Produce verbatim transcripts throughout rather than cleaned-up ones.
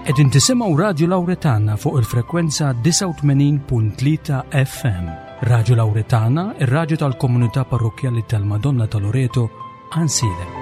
Qegħdin tisimgħu Radio Lauretana fuq il-frekwenza disgħa u tmenin punt tlieta F M. Radio Lauretana, ir-radju tal-komunità parrokkjali tal-Madonna ta' Loreto, Għajnsielem.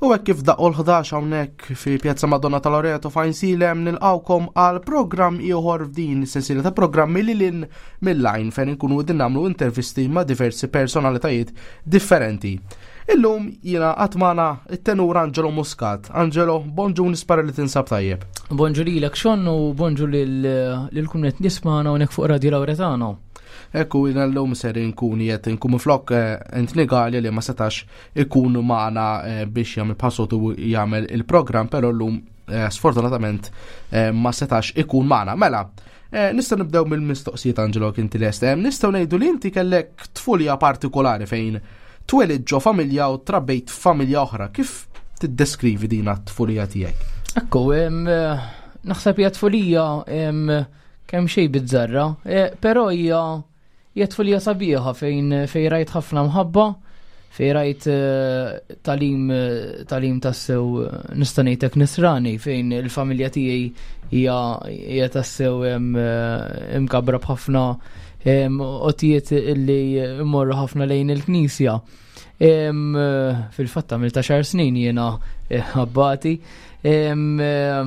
U hekk kif daqqu l-ħdax hawnhekk fi Pjazza Madonna ta' Loreto f'Għajnsielem nilqawkom għal programm ieħor f'din is-sensiela ta' programmi li lin mill-lajn fejn inkunu qegħdin nagħmlu intervisti ma' diversi personalitajiet differenti. Illum jiena qatt magħna it-tenur Angelo Muscat. Angelo, bonġu, nispera li tinsab tajjeb. Bonġu lilek Sean u bonġu lil, lil kull qed nismagħna hawnhekk fuq Radio Lauretano. Ekku, jina l-lum ser inkun jiet inkun flok, eh, Anthony Galea li ma setax ikun maħna, eh, biex jagħmel passotu jagħmel il-programm, però llum, eh, sfortunatament, eh, ma setax ikun maħna. Mela, eh, nistgħu nibdew mill-mistoqsijiet, Angelo, inti lest. Eh, nistgħu ngħidu li inti kellek tfulija partikolari fejn twelid ġo familja u trabbejt familja oħra. Kif tiddeskrivi din t-tfulija tiegħek? Ekku, em, eh, naħseb hija tfulija, em, kemm xejn bizzarra, eh, però hija hija tfulija sabiħa fejn, fejn rajt ħafna mħabba, fejn rajt, eh, talim, eh, talim tassew, eh, nista' ngħidlek nisrani, fejn il-familja tiegħi hija, hija tassew, em, eh, imkabra b'ħafna, em, qotijiet illi mmorru ħafna lejn il-knisja. Em, eh, fil-fatt għamilt għaxar snin jiena, eh, abbati. Em, eh,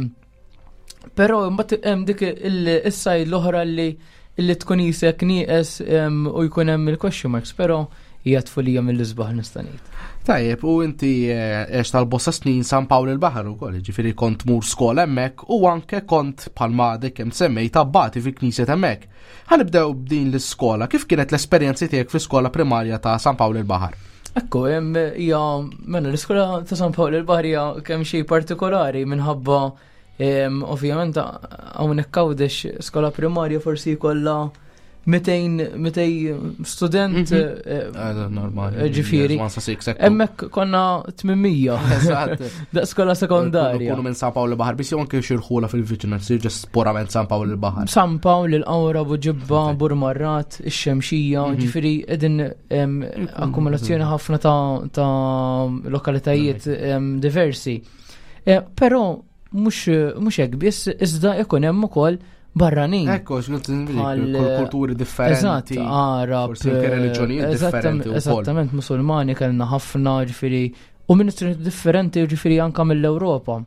però mbagħad hemm dik il-, is-sajd l-oħra li illi tkun isek nieqes, em, u jkun hemm il-question marks, però hija tfulija mill-isbaħ nista' ngħid. Tajjeb, u inti, eh, għex tal-bosta snin San Pawl il-Baħar ukoll, ġifieri kont mur skola hemmhekk u anke kont bħalma għadek kemm semmejt abbati fi knisja hemmhekk. Ħanibdew b'din l-iskola, kif kienet l-esperjenza tiegħek fl-iskola primarja ta' San Pawl il-Baħar? Ekku, hemm hija, mela l-iskola ta' San Pawl il-Baħar hija kemm xejn partikolari minħabba, em, ovvjament hawnhekk Għawdex skola primarja forsi jkollha mitejn, mitej student, Mhm. eh, Eh, normali. eh, ġifieri. Yes, one sa six, ekku. Hemmhekk konna tminmija. Eżatt. Da skola sekondarja. Kunu minn San Pawl il-Baħar, biss jew anke xi rħula fil-viċinanza, sir ġest purament San Pawl il-Baħar. San Pawl, il-Qawra, Buġibba, Ok. Burmarrat, ix-Xemxija, Mhm. ġifieri qegħdin, em, Mhm. akkumulazzjoni ħafna ta', ta' lokalitajiet, Mhm. em, diversi. Eh, però mhux, mhux hekk biss, iżda ikun hemm ukoll barranin. Ekku, x'qed nbidil, Bħal, kull kulturi differenti. Eżatt, Arab, forsi anke reliġjonijiet eżattam- differenti wkoll. Eżattament, Musulmani kellna ħafna, ġifieri, u ministri differenti, ġifieri anka mill-Ewropa.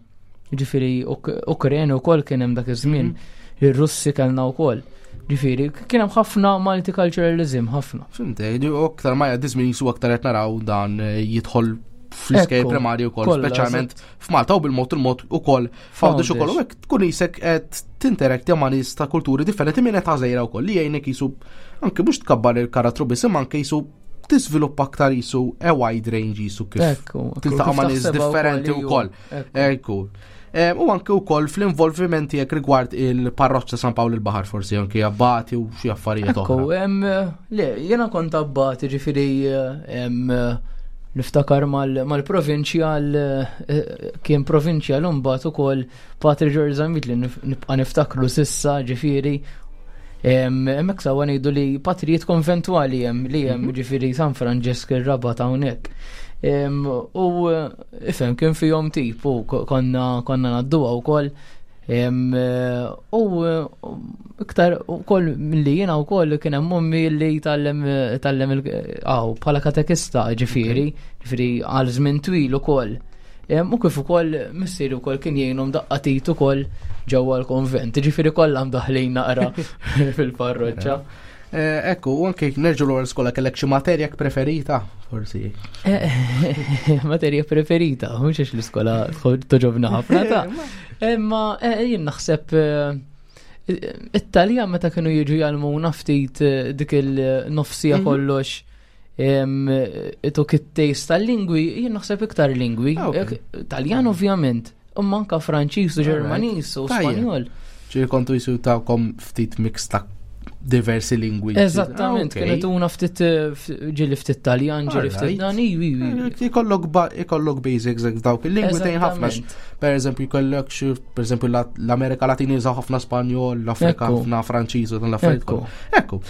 Ġifieri, Uk-, Ukreni wkoll kien hemm dak iż-żmien, Mhm. ir-Russi kellna wkoll. Ġifieri, kien hemm ħafna multiculturalism, ħafna. Fimte, u aktar ma jgħaddi żmien jisu aktar qed naraw dan, eh, jidħol fl-iskejjel Ekku, primarji wkoll, kollha, speċjalment eżatt. f'Malta u bil-mod il-mod ukoll f'Għawdex ukoll. U hekk tkun isek qed tinteraktja ma' nies ta' kulturi differenti minn età żgħira wkoll li jgħinek jisu anke mhux tkabbar il-karattru biss imma anke jisu tiżviluppa aktar jisu a wide range jisu kif Ekku, ekku, tiltaqa' kif ma' nies taħsebha wkoll, differenti iju. wkoll. Ekku. Ekku. Em, u anke wkoll fl-involviment tiegħek rigward il-parroċċa San Pawl il-Baħar forsi anke abbati u xi affarijiet Ekku, oħra. em, le, jiena kont abbati, ġifieri, em, niftakar mal-, mal-provinċjal, eh, kien provinċjal u mbagħad ukoll Patri George Zammit li nif-, nibqa' niftakru sissa, ġifieri. Em, hemmhekk sawa ngħidu li patrijiet konventwali hemm li hemm, Mhm. ġifieri San Franġesk ir-Rabat hawnhekk. Em, u, eh, ifhem kien fihom tip u ko-, konna, konna ngħadduha wkoll. Em, eh, u, eh, iktar ukoll milli jiena wkoll kien hemm ommi li tgħallem, tgħallem il-, aw, bħala katekista, ġifieri, Ok. ġifieri għal żmien twil ukoll. Em, u kif ukoll missieri wkoll kien jgħinhom daqqa tit ukoll ġewwa l-konvent, ġifieri kollha mdaħlin naqra fil-parroċċa. Eh, ekku, u anke nerġgħu lura l-iskola, kellek xi materja preferita, forsi? Eh, materja preferita, mhux għax l-iskola toġobna ħafna ta' Imma, eh, jien naħseb, eh, it-Taljan meta kienu jiġu jgħallmuna ftit, eh, dik il-nofsija Mhm. kollox, em, ituk it-taste tal-lingwi, jien naħseb iktar lingwi. Ah, ok. Eh, Taljan ovvjament, imma anka Franċiż u Alright. Ġermaniż u Tajjeb. Spanjol. Ġifieri kontu jisu tawkom ftit mix ta' diversi lingwi. Eżattament, ah, kienet una ftit eh, ġieli ftit Taljan, ġieli ftit dan, Ikollok ikollok basics dawk il-lingwi tgħin ħafna. Per eżempju, jkollok xi per eżempju l-Amerika Latina jużaw ħafna Spanjol, l-Afrika ħafna Franċiż u dan l-affarijiet. Ekku.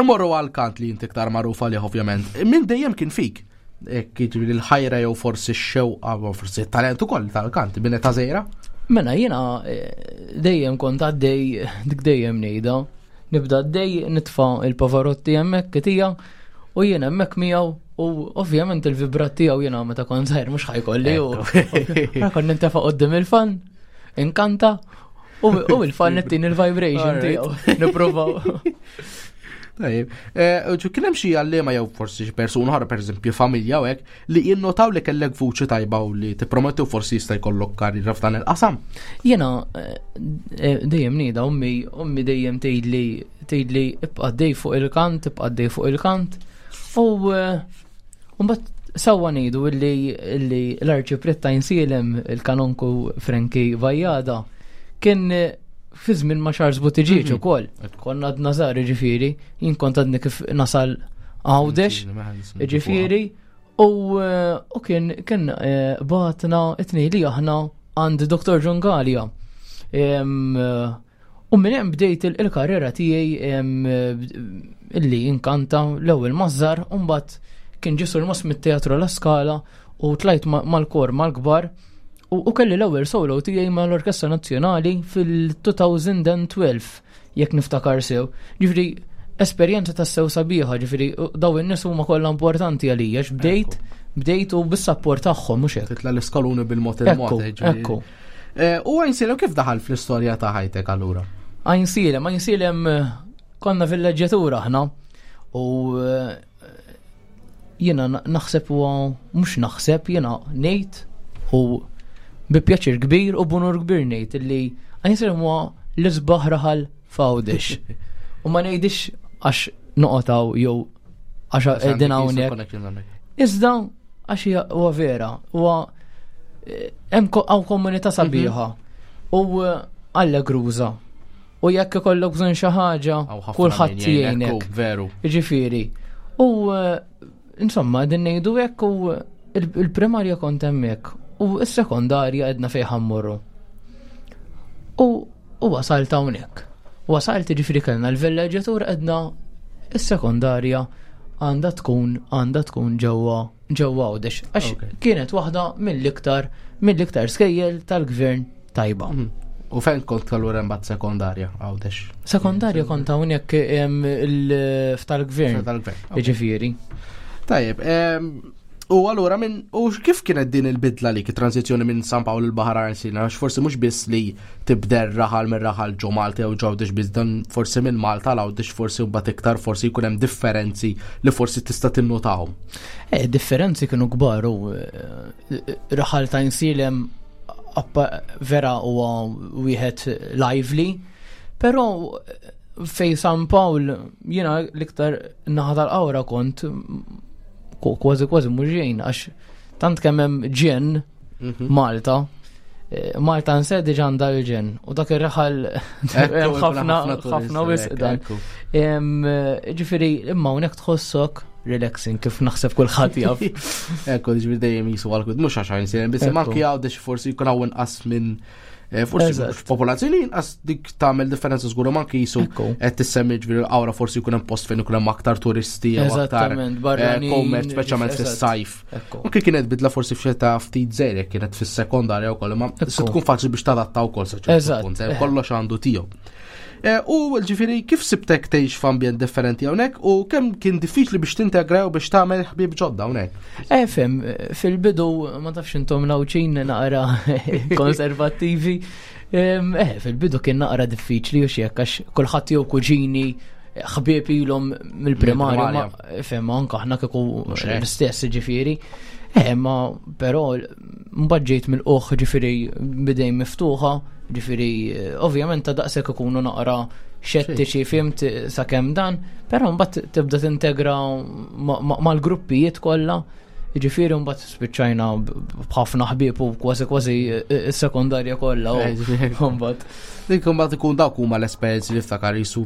Morru għal kant li inti iktar magħruf għalih ovvjament. Min dejjem kien fik? Jiġifieri l-ħajra jew forsi x-xewqa u forsi t-talent ukoll tal-kant minn età żgħira? Mela jiena eh, dejjem kont għaddej dik dejjem ngħidha. Nibda għaddej nitfa' il-Pavarotti hemmhekk kitija u jiena hemmhekk miegħu u ovvjament il-vibrat tiegħu jiena meta kont żgħir mhux ħajkolli u kont nintefa' quddiem il-fan, inkanta u il-fan nittin il-vibration tiegħu. Nipprovaw. Tajjeb, eh, kien hemm xi għalliema jew forsi xi persuna oħra pereżempju familja u hekk li jinnotaw li kellek vuċi tajba u li tipprometti u forsi jista' jkollok karriera f'dan il-qasam. Jiena eh, eh, dejjem ngħidha ommi ommi dejjem tgħidli tgħidli ibqa' dej fuq il-kant, ibqa' dej fuq il-kant. U mbagħad sewwa ngħidu illi illi l-arċipriet ta' Għajnsielem il-kanonku Frankie Vajada kien fi żmien ma' Charles Buttigieg mhm. ukoll. Konna għadna żgħar ġifieri, jien kont għadni kif nasal Għawdex, ġifieri, u eh, kien kien eh, bagħatna it-tnejn li aħna għand Dr. John Gallia. Eh, u minn hemm bdejt il-karriera tiegħi illi inkanta l-ewwel mażżar u mbagħad kien ġie surmast mit-Teatru La Scala u tlajt mal-kor mal-kbar U kelli l-ewwel solo tiegħi mal-Orkestra Nazzjonali fil-elfejn u tnax jekk niftakar sew. Ġifieri esperjenza ta' sew sabiħa, ġifieri daw in-nies huma kollha importanti għalija, bdejt bdejt u bis-sapport tagħhom mhux hekk. Titla l-iskaluni bil-mod il-mod. Ekku. Eh, u Għajnsielem kif daħal fl-istorja ta' ħajtek allura? Għajnsielem, Għajnsielem eh, konna villeġġjatura aħna u eh, jiena naħseb u mhux naħseb jiena ngħid u bi pjaċir kbir u b'unur kbir ngħid illi Għajnsielem huwa l-isbaħ raħal f'Għawdex. U ma ngħidix għax noqgħod jew għax qegħdin hawnhekk. Iżda għax huwa vera, huwa eh, hemm hawn komunità sabiħa mhm. u eh, allegruża. U jekk ikollok bżonn xi ħaġa, kulħadd jgħinek. Veru. Ġifieri. U eh, insomma, din ngħidu hekk u il-primarja kont hemmhekk u s-sekondarja għedna fejn ħa mmorru. U u wasalt hawnhekk. Wasalt ġifieri kellna l-villeġġjatur għedna is-sekondarja għandha tkun għandha tkun ġewwa ġewwa Għawdex. Għax kienet waħda mill-iktar mill-iktar skejjel tal-gvern tajba. Mhm. U fejn kont allura mbagħad sekondarja Għawdex? Sekondarja kont hawnhekk f'tal-gvern. Tal-gvern. Ġifieri. Tajjeb, u allura minn u kif kienet din il-bidla li transizzjoni minn San Pawl il-Baħar Għajnsielem, għax forsi mhux biss li tibdel raħal minn raħal ġo Malta jew Għawdex biss dan forsi minn Malta l Għawdex forsi mbagħad iktar forsi jkun hemm differenzi li forsi tista' tinnotahom. Eh, differenzi kienu kbar u eh, raħal ta' Għajnsielem vera huwa wieħed lively, però fej San Pawl jiena l-iktar naħa tal-Qawra kont kważi kważi muġejn għax tant kemm hemm ġen mhm. Malta. Eh, Malta nse diġà għandha l-ġen u dak ir-raħal ħafna ħafna wisq dan. Ġifieri imma hawnhekk tħossok relaxing kif naħseb kulħadd jaf. Ekku, ġifieri dejjem jisu għal mhux għax Għajnsielem, biss anki Għawdex forsi jkun hawn inqas minn eh, forsi popolazzjoni inqas dik tagħmel differenza żgur ma anki jisu qed tissemmi ġifieri l-Qawra forsi jkun hemm post fejn ikun hemm aktar turisti jew aktar eh, commerce speċjalment fis-sajf. Anke kienet bidla forsi f'xeta ftit żgħir kienet fis-sekondarja wkoll, ma se tkun faċli biex tadatta wkoll sa ċertu punt, eh, kollox għandu tiegħu. U ġifieri kif sibtek tgħix f'ambjent differenti hawnhekk u kemm kien diffiċli biex tintegra u biex tagħmel ħbieb ġodda hawnhekk? Eh, fem, fil-bidu ma tafx intom l-Għawdxin naqra konservattivi. Eh, fil-bidu kien naqra diffiċli u xiek għax kulħadd jew kuġini ħbieb ilhom mill-primarja, fem anke aħna kieku l-istess ġifieri. Eh, ma però mbagħad ġejt mill-oħ ġifieri bidejn miftuħa, ġifieri ovvjament ta' daqshekk ikunu naqra xettiċi fimt sakemm dan, però mbagħad tibda tintegra mal-gruppijiet kollha. Jiġifieri mbagħad spiċċajna b'ħafna ħbieb u kważi kważi s-sekondarja kollha u mbagħad. Dik imbagħad ikun dawk huma l-esperjenzi li ftakar jisu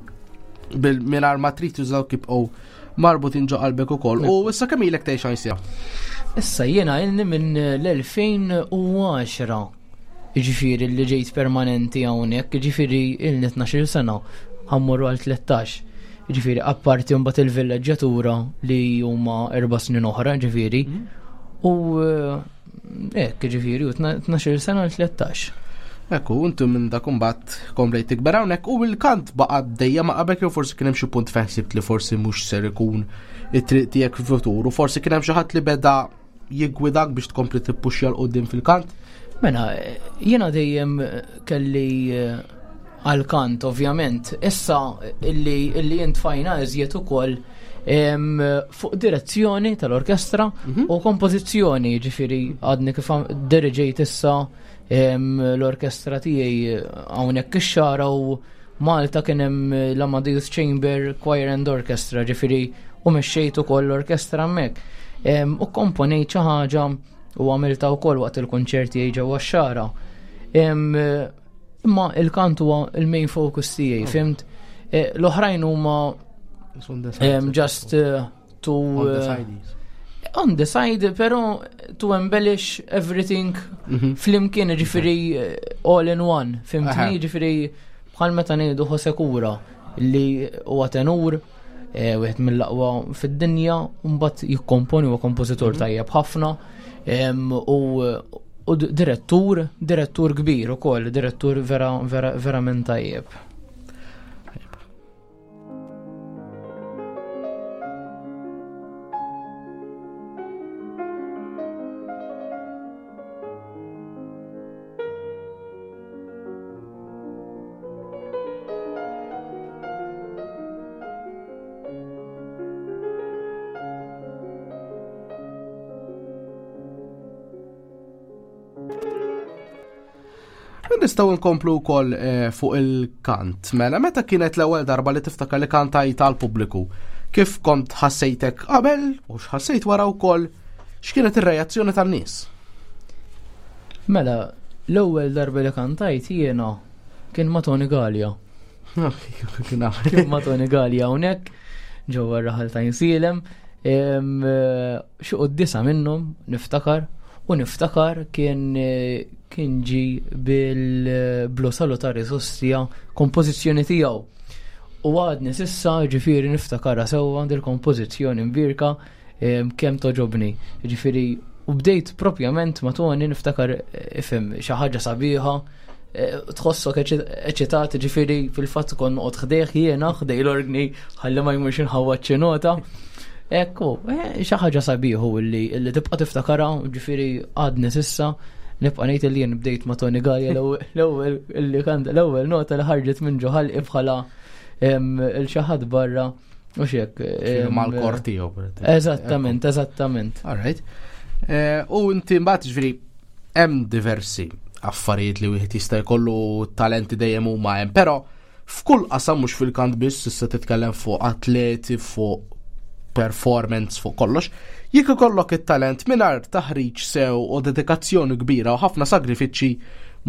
bil-mingħajr ma trid tużaw kibqgħu marbutin ġo qalbek ukoll. U issa kemm ilek tgħix Għajnsielem? Issa jiena ilni minn l-elfejn u għaxra. Jiġifieri li ġejt permanenti hawnhekk, jiġifieri ilni tnax-il sena, ħammorru għal tlettax. Jiġifieri apparti mbagħad il-villeġġjatura li huma erba' snin oħra, jiġifieri. Mhm. U, eh, hekk, jiġifieri, u tna-, tnax-il sena għal tlettax. Ekku, intu minn dak imbagħad komplejt tikber hawnhekk u l-kant baqa' dejjem ma' qabel jew forsi kien hemm xi punt fejn ħsibt li forsi mhux ser ikun it-triq tiegħek fil-futur u forsi kien hemm xi ħadd li beda jiggwidak biex tkompli tippuxja l quddiem fil-kant? Mela, jiena dejjem kelli, eh, għal-kant, ovvjament. Issa illi, illi jintfajna iżjed ukoll, em, fuq direzzjoni tal-orkestra Mhm. u kompożizzjoni, ġifieri għadni kif għam-, diriġejt issa, em, l-orkestra tiegħi hawnhekk ix-Xagħra u Malta kien hemm l-Amadeus Chamber Choir and Orchestra, ġifieri u mexxejt ukoll l-orkestra hemmhekk. Em, u komponejt xi ħaġa u għamilta wkoll waqt il-kunċerti tiegħi ġewwa x-Xagħra. Em, imma il-kant huwa il-main focus tiegħi, Oh. fimt? Eh, l-oħrajn huma, On the side. em, just, eh, to, On the eh, side is. on the side, però to embellish everything Mhm. flimkien, ġifieri, eh, all in one, fimtni? Aha. Ġifieri bħal meta ngħidu Jose Cura li huwa tenur, eh, wieħed mill-aqwa fid-dinja, u mbagħad jikkomponi, huwa kompożitur Mhm. tajjeb ħafna, em, u, u d-, direttur, direttur kbir ukoll, direttur vera, vera, verament tajjeb. Nistgħu nkomplu wkoll, eh, fuq il-kant. Mela, meta kienet l-ewwel darba li tiftakar li kantajt għall-pubbliku? Kif kont ħassejtek qabel u x'ħassejt wara wkoll? X'kienet ir-reazzjoni tan-nies? Mela, l-ewwel darba li kantajt jiena kien ma' Tony Galea. Kien ma' Tony Galea hawnhekk ġewwa r-raħal ta' Għajnsielem. Em, eh, xi quddisa minnhom niftakar, u niftakar kien, eh, kien ġi bil-Blu Salutari Sostia kompożizzjoni tiegħu. U għadni sissa, ġifieri niftakarha sewwa dil-kompożizzjoni mbirka, em, kemm toġobni. Ġifieri, u bdejt propjament ma' Tony niftakar, eh, ifhem, xi ħaġa sabiħa, eh, tħossok eċi-, eċitat, ġifieri fil-fatt kont noqgħod ħdejh jiena, ħdej l-orgni, ħalli ma jmurx inħawwad xi nota. Ekku, eh, xi ħaġa sabiħu illi, illi tibqa' tiftakarha, ġifieri għadni sissa nibqa' ngħid li jien bdejt ma' Tony Galea l-ewwel, l-ewwel illi kant, l-ewwel nota li ħarġet minn ġo ħalqi bħala, em, il xi ħadd barra u x'hekk, Kienu em, mal-kor tiegħu, per eżempju. Eżattament, eżattament. All right. Eh, u inti mbagħad ġifieri hemm diversi affarijiet li wieħed jista' jkollu talenti dejjem huma hemm, però f'kull qasam mhux fil-kant biss, issa titkellem fuq atleti, fuq performance, fuq kollox, jekk ikollok it-talent mingħajr taħriġ sew u dedikazzjoni kbira u ħafna sagrifiċċji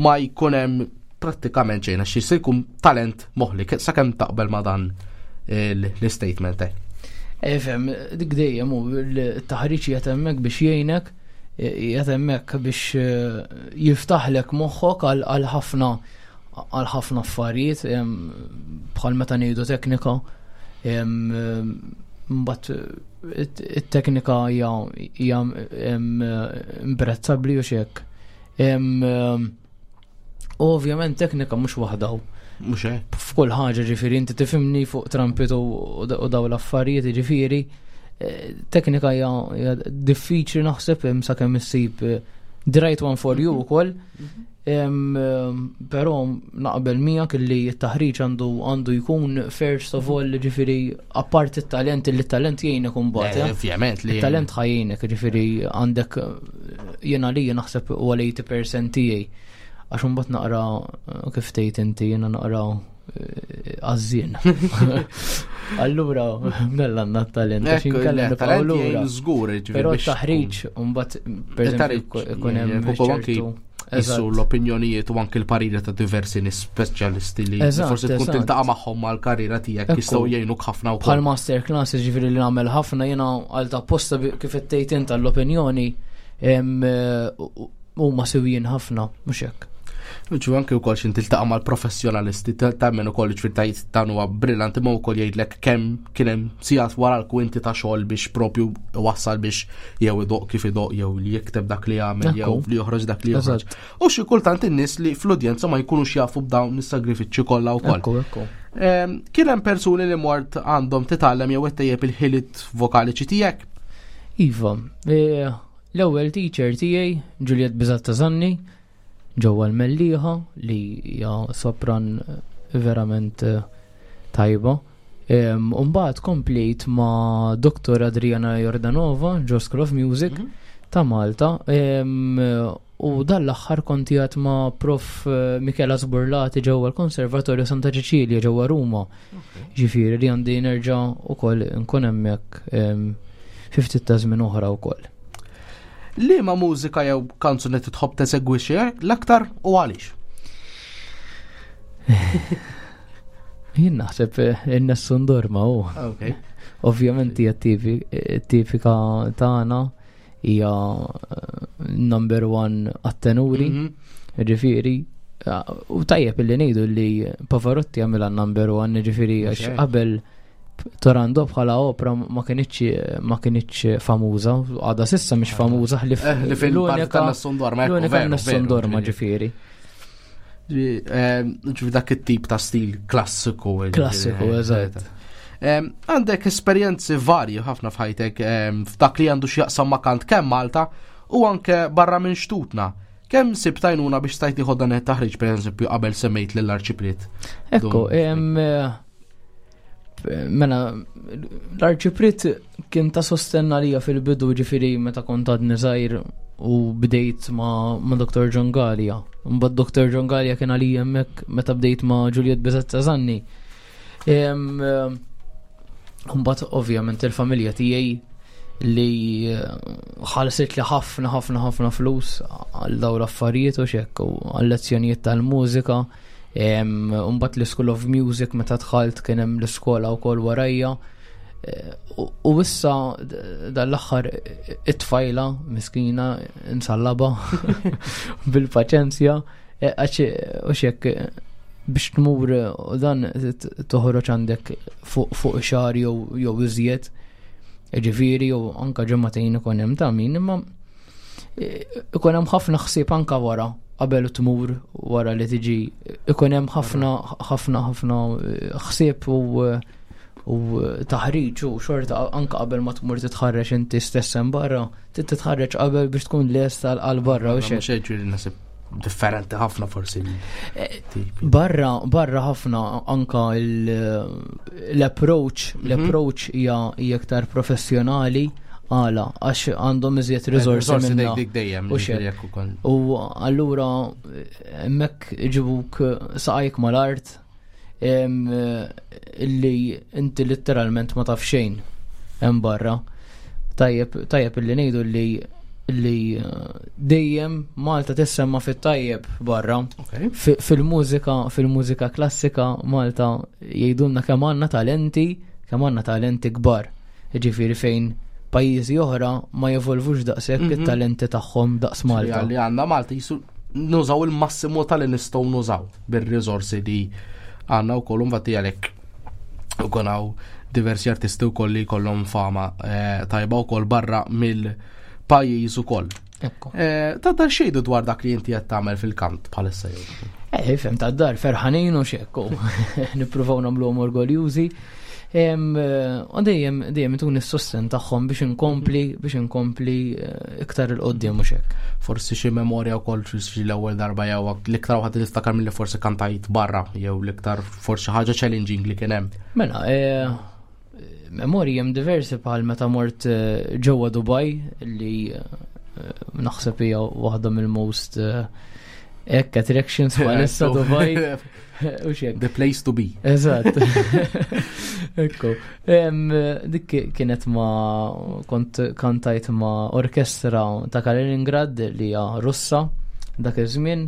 ma jkun hemm prattikament xejn, għax jista' jkun talent moħli. Sakemm taqbel ma' dan il-, l-statement hekk. Efhem, dik dejjem hu l-taħriġ qiegħed hemmhekk biex jgħinek, qiegħed hemmhekk biex, eh, jiftaħlek moħħok għal, għal ħafna, għal ħafna affarijiet, em, bħal meta ngħidu teknika, em, mbagħad it-, it-teknika hija, hija, em, imprezzabbli u x'hekk. Em, u ovvjament teknika mhux waħda hu. Mhux hekk. F'kull ħaġa, ġifieri inti tifhimni fuq trumpet u, u da-, u dawn l-affarijiet, ġifieri, eh, teknika hija, hija diffiċli naħseb hemm sakemm issib, eh, the right one for you ukoll. Mhm. Em, em, però naqbel miegħek li t-taħriġ għandu, għandu jkun first of all, ġifieri apparti t-talent, li t-talent jgħinek imbagħad, Eh, eh? Ovvjament li It-talent ħajjinek, ġifieri għandek, jiena li naħseb huwa l-eighty percent tiegħi. Għax imbagħad naqra, eh, kif tgħid inti, jiena naqra għażżien. Allura, mela għandna talent, għax inkella nibqgħu lura. Żgur, Però taħriġ, mbagħad per eżempju ikun hemm ċertu Issu l-opinjonijiet u anke l-pariri ta' diversi nies speċjalisti li forsi tkun tiltaqa' magħhom mal-karriera tiegħek jistgħu jgħinuk ħafna wkoll. Bħal master class ġifieri li nagħmel ħafna jiena għal ta' posta kif ittejt int l-opinjoni huma sewjin ħafna, mhux hekk. Ġu anke wkoll x'in tiltaqa' mal-professjonalisti temmen ukoll ġifier tajt dan huwa brillanti ma wkoll jgħidlek kemm kien hemm sigħat wara l-kwinti ta' xogħol biex propju wassal biex jew idoq kif idoq jew li jikteb dak li jagħmel jew li joħroġ dak li joħroġ. U xi kultant in-nies li fl-udjenza ma jkunux jafu b'dawn is-sagrifiċċji kollha wkoll. Kien hemm persuni li mort għandhom titgħallem jew ittejjeb il-ħiliet vokaliċi tiegħek? Iva, l-ewwel teacher tiegħi Juliet Bizatta Zanni ġewwa l-Mellieħa li hija sopran verament tajba. Umbagħad komplejt ma' Doktor Adriana Jordanova ġo School of Music ta' Malta. U dan l-aħħar kont qiegħed ma' Prof Michela Sburlati ġewwa l-Konservatorju Santa Ċeċilja ġewwa Ruma. Ġifieri li għandi nerġa' ukoll nkun hemmhekk fi ftit ta' żmien oħra wkoll. Liema mużika jew kanzunetti tħobb tesegwixxi l-aktar u għaliex? Jien naħseb in-Nessun Dorma hu. Ovvjament hija tipika tagħna, hija number one għat-tenuri, ġifieri, u tajjeb illi ngħidu li Pavarotti għamilha number one, ġifieri għax qabel Turandot bħala opera ma kinitx, ma kinitx famuża, għadha s'issa mhix famuża ħlif l-unika tan-Nessun Dorma, l-unika Nessun Dorma, ġifieri. Ġifieri dak it-tip ta' stil klassiku. Klassiku, eżatt. Għandek esperjenzi varji ħafna f'ħajtek f'dak li għandu x'jaqsam ma' kant kemm Malta u anke barra minn xtutna. Kemm sibt għajnuna biex stajt tieħu dan it-taħriġ, per eżempju, qabel semmejt lill-Arċipriet? Ekku, mela, l-Arċipriet kien ta' sostenna lija fil-bidu, ġifieri meta kont għadni żgħir u bdejt ma', ma' Doktor John Galea. Mbagħad Doktor John Galea kien għalija hemmhekk meta bdejt ma' Juliet Bizzetta Zanni. Mbagħad ovvjament il-familja tiegħi li ħallsit li ħafna ħafna ħafna flus għal dawn l-affarijiet u xekk u għal lezzjonijiet tal-mużika. Mbagħad l-School of Music meta dħalt kien hemm l-iskola wkoll warajja. U issa dal-aħħar it-tfajla miskina insallaba bil-paċenzja għax u xekk biex tmur u dan toħroġ għandek fuq xahar jew iżjed, ġifieri jew anka ġimagħtejn ikun hemm ta' min, imma ikun hemm ħafna ħsieb anka wara qabel tmur wara li tiġi, ikun hemm ħafna ħafna ħafna ħsieb u, u taħriġ u xorta anka qabel ma tmur titħarreġ inti stess hemm barra, trid titħarreġ qabel biex tkun lest għal barra u xejn. Mhux hekk ġifieri naħseb differenti ħafna forsi tipi. Barra, barra ħafna anka l-approach, l-approach hija, hija iktar professjonali għala għax għandhom iżjed riżorsi Riżorsi minna. dik, dik dejjem, U ġifieri xejn. jekk ukoll. U allura hemmhekk iġibuk saqajk mal-art, em, illi inti letteralment ma taf xejn hemm barra. Tajjeb, tajjeb illi ngħidu li, li dejjem Malta tissemma fit-tajjeb barra. Okay. Fi-, fil-mużika, fil-mużika klassika Malta jgħidulna kemm għandna talenti, kemm għandna talenti kbar. Ġifieri fejn pajjiżi oħra ma jevolvux daqshekk Mhm. it-talenti tagħhom daqs Malta. Li għandna Malta jisu nużaw il-massimu tal-li nistgħu nużaw bir-riżorsi li għandna wkoll, infatti għalhekk ukoll hawn diversi artisti wkoll li jkollhom fama, eh, tajba wkoll barra mill-pajjiż ukoll. Ekku. Eh, ta' dar xejdu dwar dak li inti qed tagħmel fil-kant bħalissa jew? Eh, fem ta' dar ferħanin u xekku. Nippruvaw nagħmluhom orgoljużi. Em, u dejjem, dejjem ituni s-sosten tagħhom biex inkompli, biex inkompli, eh, iktar il-qoddim u xekk. Forsi xi memorja wkoll xi l-ewwel darba jew l-iktar waħda li tiftakar milli forsi kantajt barra jew l-iktar forsi ħaġa challenging li kien hemm. Mela, eh, memorji hemm diversi bħal meta mort, eh, ġewwa Dubai li, eh, naħseb hija waħda mill-most, eh, Ekk, attractions bħalissa Dubai. U xek. The place to be. Eżatt. Ekku. Dik kienet ma kont kantajt ma orkestra ta' Kaliningrad li hija Russa dak iż-żmien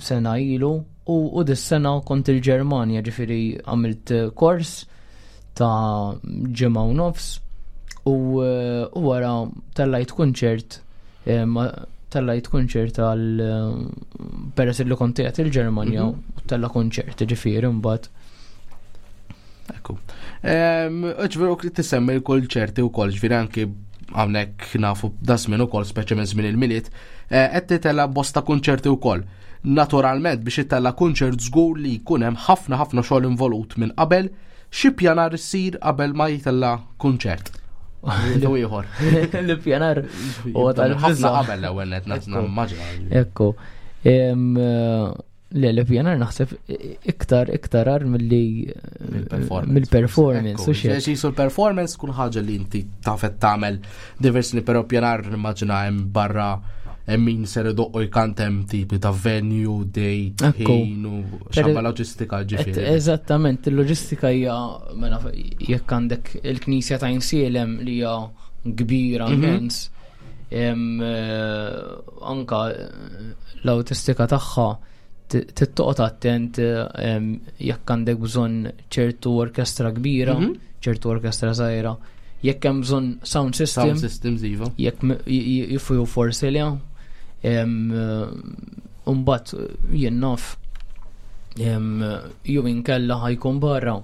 sena ilu u, u dis-sena kont il-Ġermanja, ġifieri għamilt kors ta' ġimgħa u nofs u, u wara tellajt kunċert, tellajt kunċert għal peress li kont qiegħed il-Ġermanja mhm. u tella kunċert, ġifieri mbagħad. Ekku. Ġifieri tisemmi l-kunċerti wkoll, ġifieri anki hawnhekk nafu da żmien ukoll, speċi minn żmien il-Milied, eh, qed titella bosta kunċerti wkoll. Naturalment biex itella kunċert żgur li jkun hemm ħafna ħafna xogħol involut minn qabel, xi pjanar issir qabel ma jitella kunċert. Lu ieħor. L-pjanar u tal-ħafna qabel l-ewwel net nimmaġina. Ekku. Le, l-pjanar naħseb iktar iktar ar milli mill-performance. Xisu l-performance kull ħaġa li inti tafet tagħmel diversi, però pjanar nimmaġina hemm barra hemm min ser idoqqu jkant, hemm tipi ta' venue, date, ħin u xabba loġistika ġifieri. Eżattament, il-loġistika hija, mela, jekk għandek il-Knisja ta' Għajnsielem li hija kbira mhm. immens, eh, anka l-awtistika tagħha tittoqgħod attent jekk għandek bżonn ċertu orkestra kbira, mhm. ċertu orkestra żgħira, jekk hemm bżonn sound system, sound systems iva. Jekk jifu forsi li Umbat jien naf jew inkella ħa jkun barra.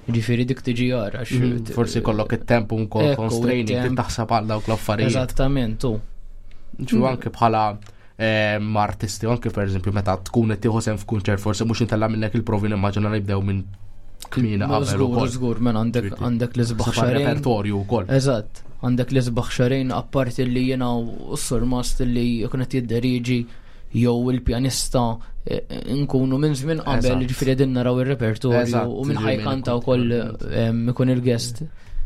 Ġifieri dik tiġi għara. Mhm, forsi kollok it-temp ukoll constraining, taħseb għal dawk l-affarijiet. Eżattament, u. Ġu anke bħala ma' artisti, anke per eżempju meta tkun qed tieħu sehem f'kunċert, forsi mhux intella minnek il-provi, nimmaġina li jibdew minn kmieni qabel. Żgur, żgur, men għandek għandek l-isbaħ xahrejn. Repertorju wkoll. Eżatt, għandek l-isbaħ xahrejn apparti li jiena u s-surmast li jkun qed jidderiġi jew il-pjanista eh, nkunu minn żmien qabel, ġifieri qegħdin naraw ir-repertorju u minn ħa jkanta wkoll ikun il-guest,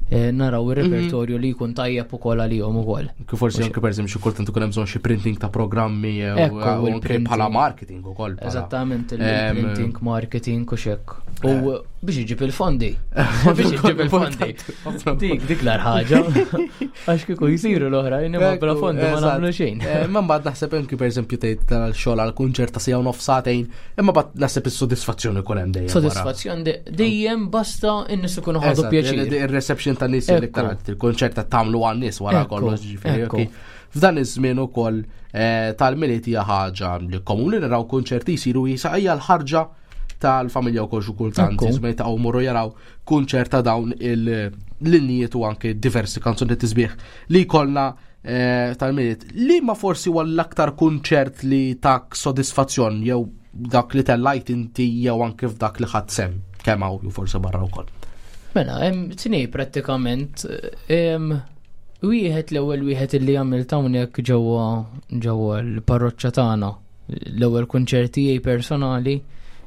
eh, naraw ir-repertorju li jkun tajjeb ukoll għalihom ukoll. Kif forsi anke per eżempju xi kultant ikun hemm bżonn xi printing ta' programmi jew anke bħala marketing ukoll. Eżattament, il-printing, marketing u xek. U biex iġib il-fondi. Biex iġib il-fondi. Dik dik l ħaġa. Għax kieku jsiru l-oħrajn, imma bla fondi ma nagħmlu xejn. Ma mbagħad naħseb anke per eżempju tgħid tal-xogħol għal kunċert ta' sija u nofs sagħtejn, imma bad naħseb is-sodisfazzjoni jkun hemm dejjem. Sodisfazzjon dejjem, basta in-nies ikunu ħadu pjaċir. Ir-reception tan-nies li il-kunċert ta' tagħmlu għan-nies wara kollox, ġifieri. F'dan iż-żmien ukoll eh, tal-Milied hija ħaġa li komuni naraw kunċerti jsiru, jisa hija l-ħarġa tal-familja wkoll xi kultant, jiżma jitaqgħu morru jaraw kunċert ta' dawn il-linjiet u anke diversi kanzuni tisbieħ li jkollna eh, tal-Milied. Li ma forsi huwa l-aktar kunċert li tak sodisfazzjon, jew dak li tellajt inti jew anke f'dak li ħadd sehem kemm hawn jew forsi barra wkoll? Mela, hemm tnej prattikament. Wieħed, l-ewwel wieħed li għamilt hawnhekk ġewwa ġewwa l-parroċċa tagħna. L-ewwel kunċert tiegħi personali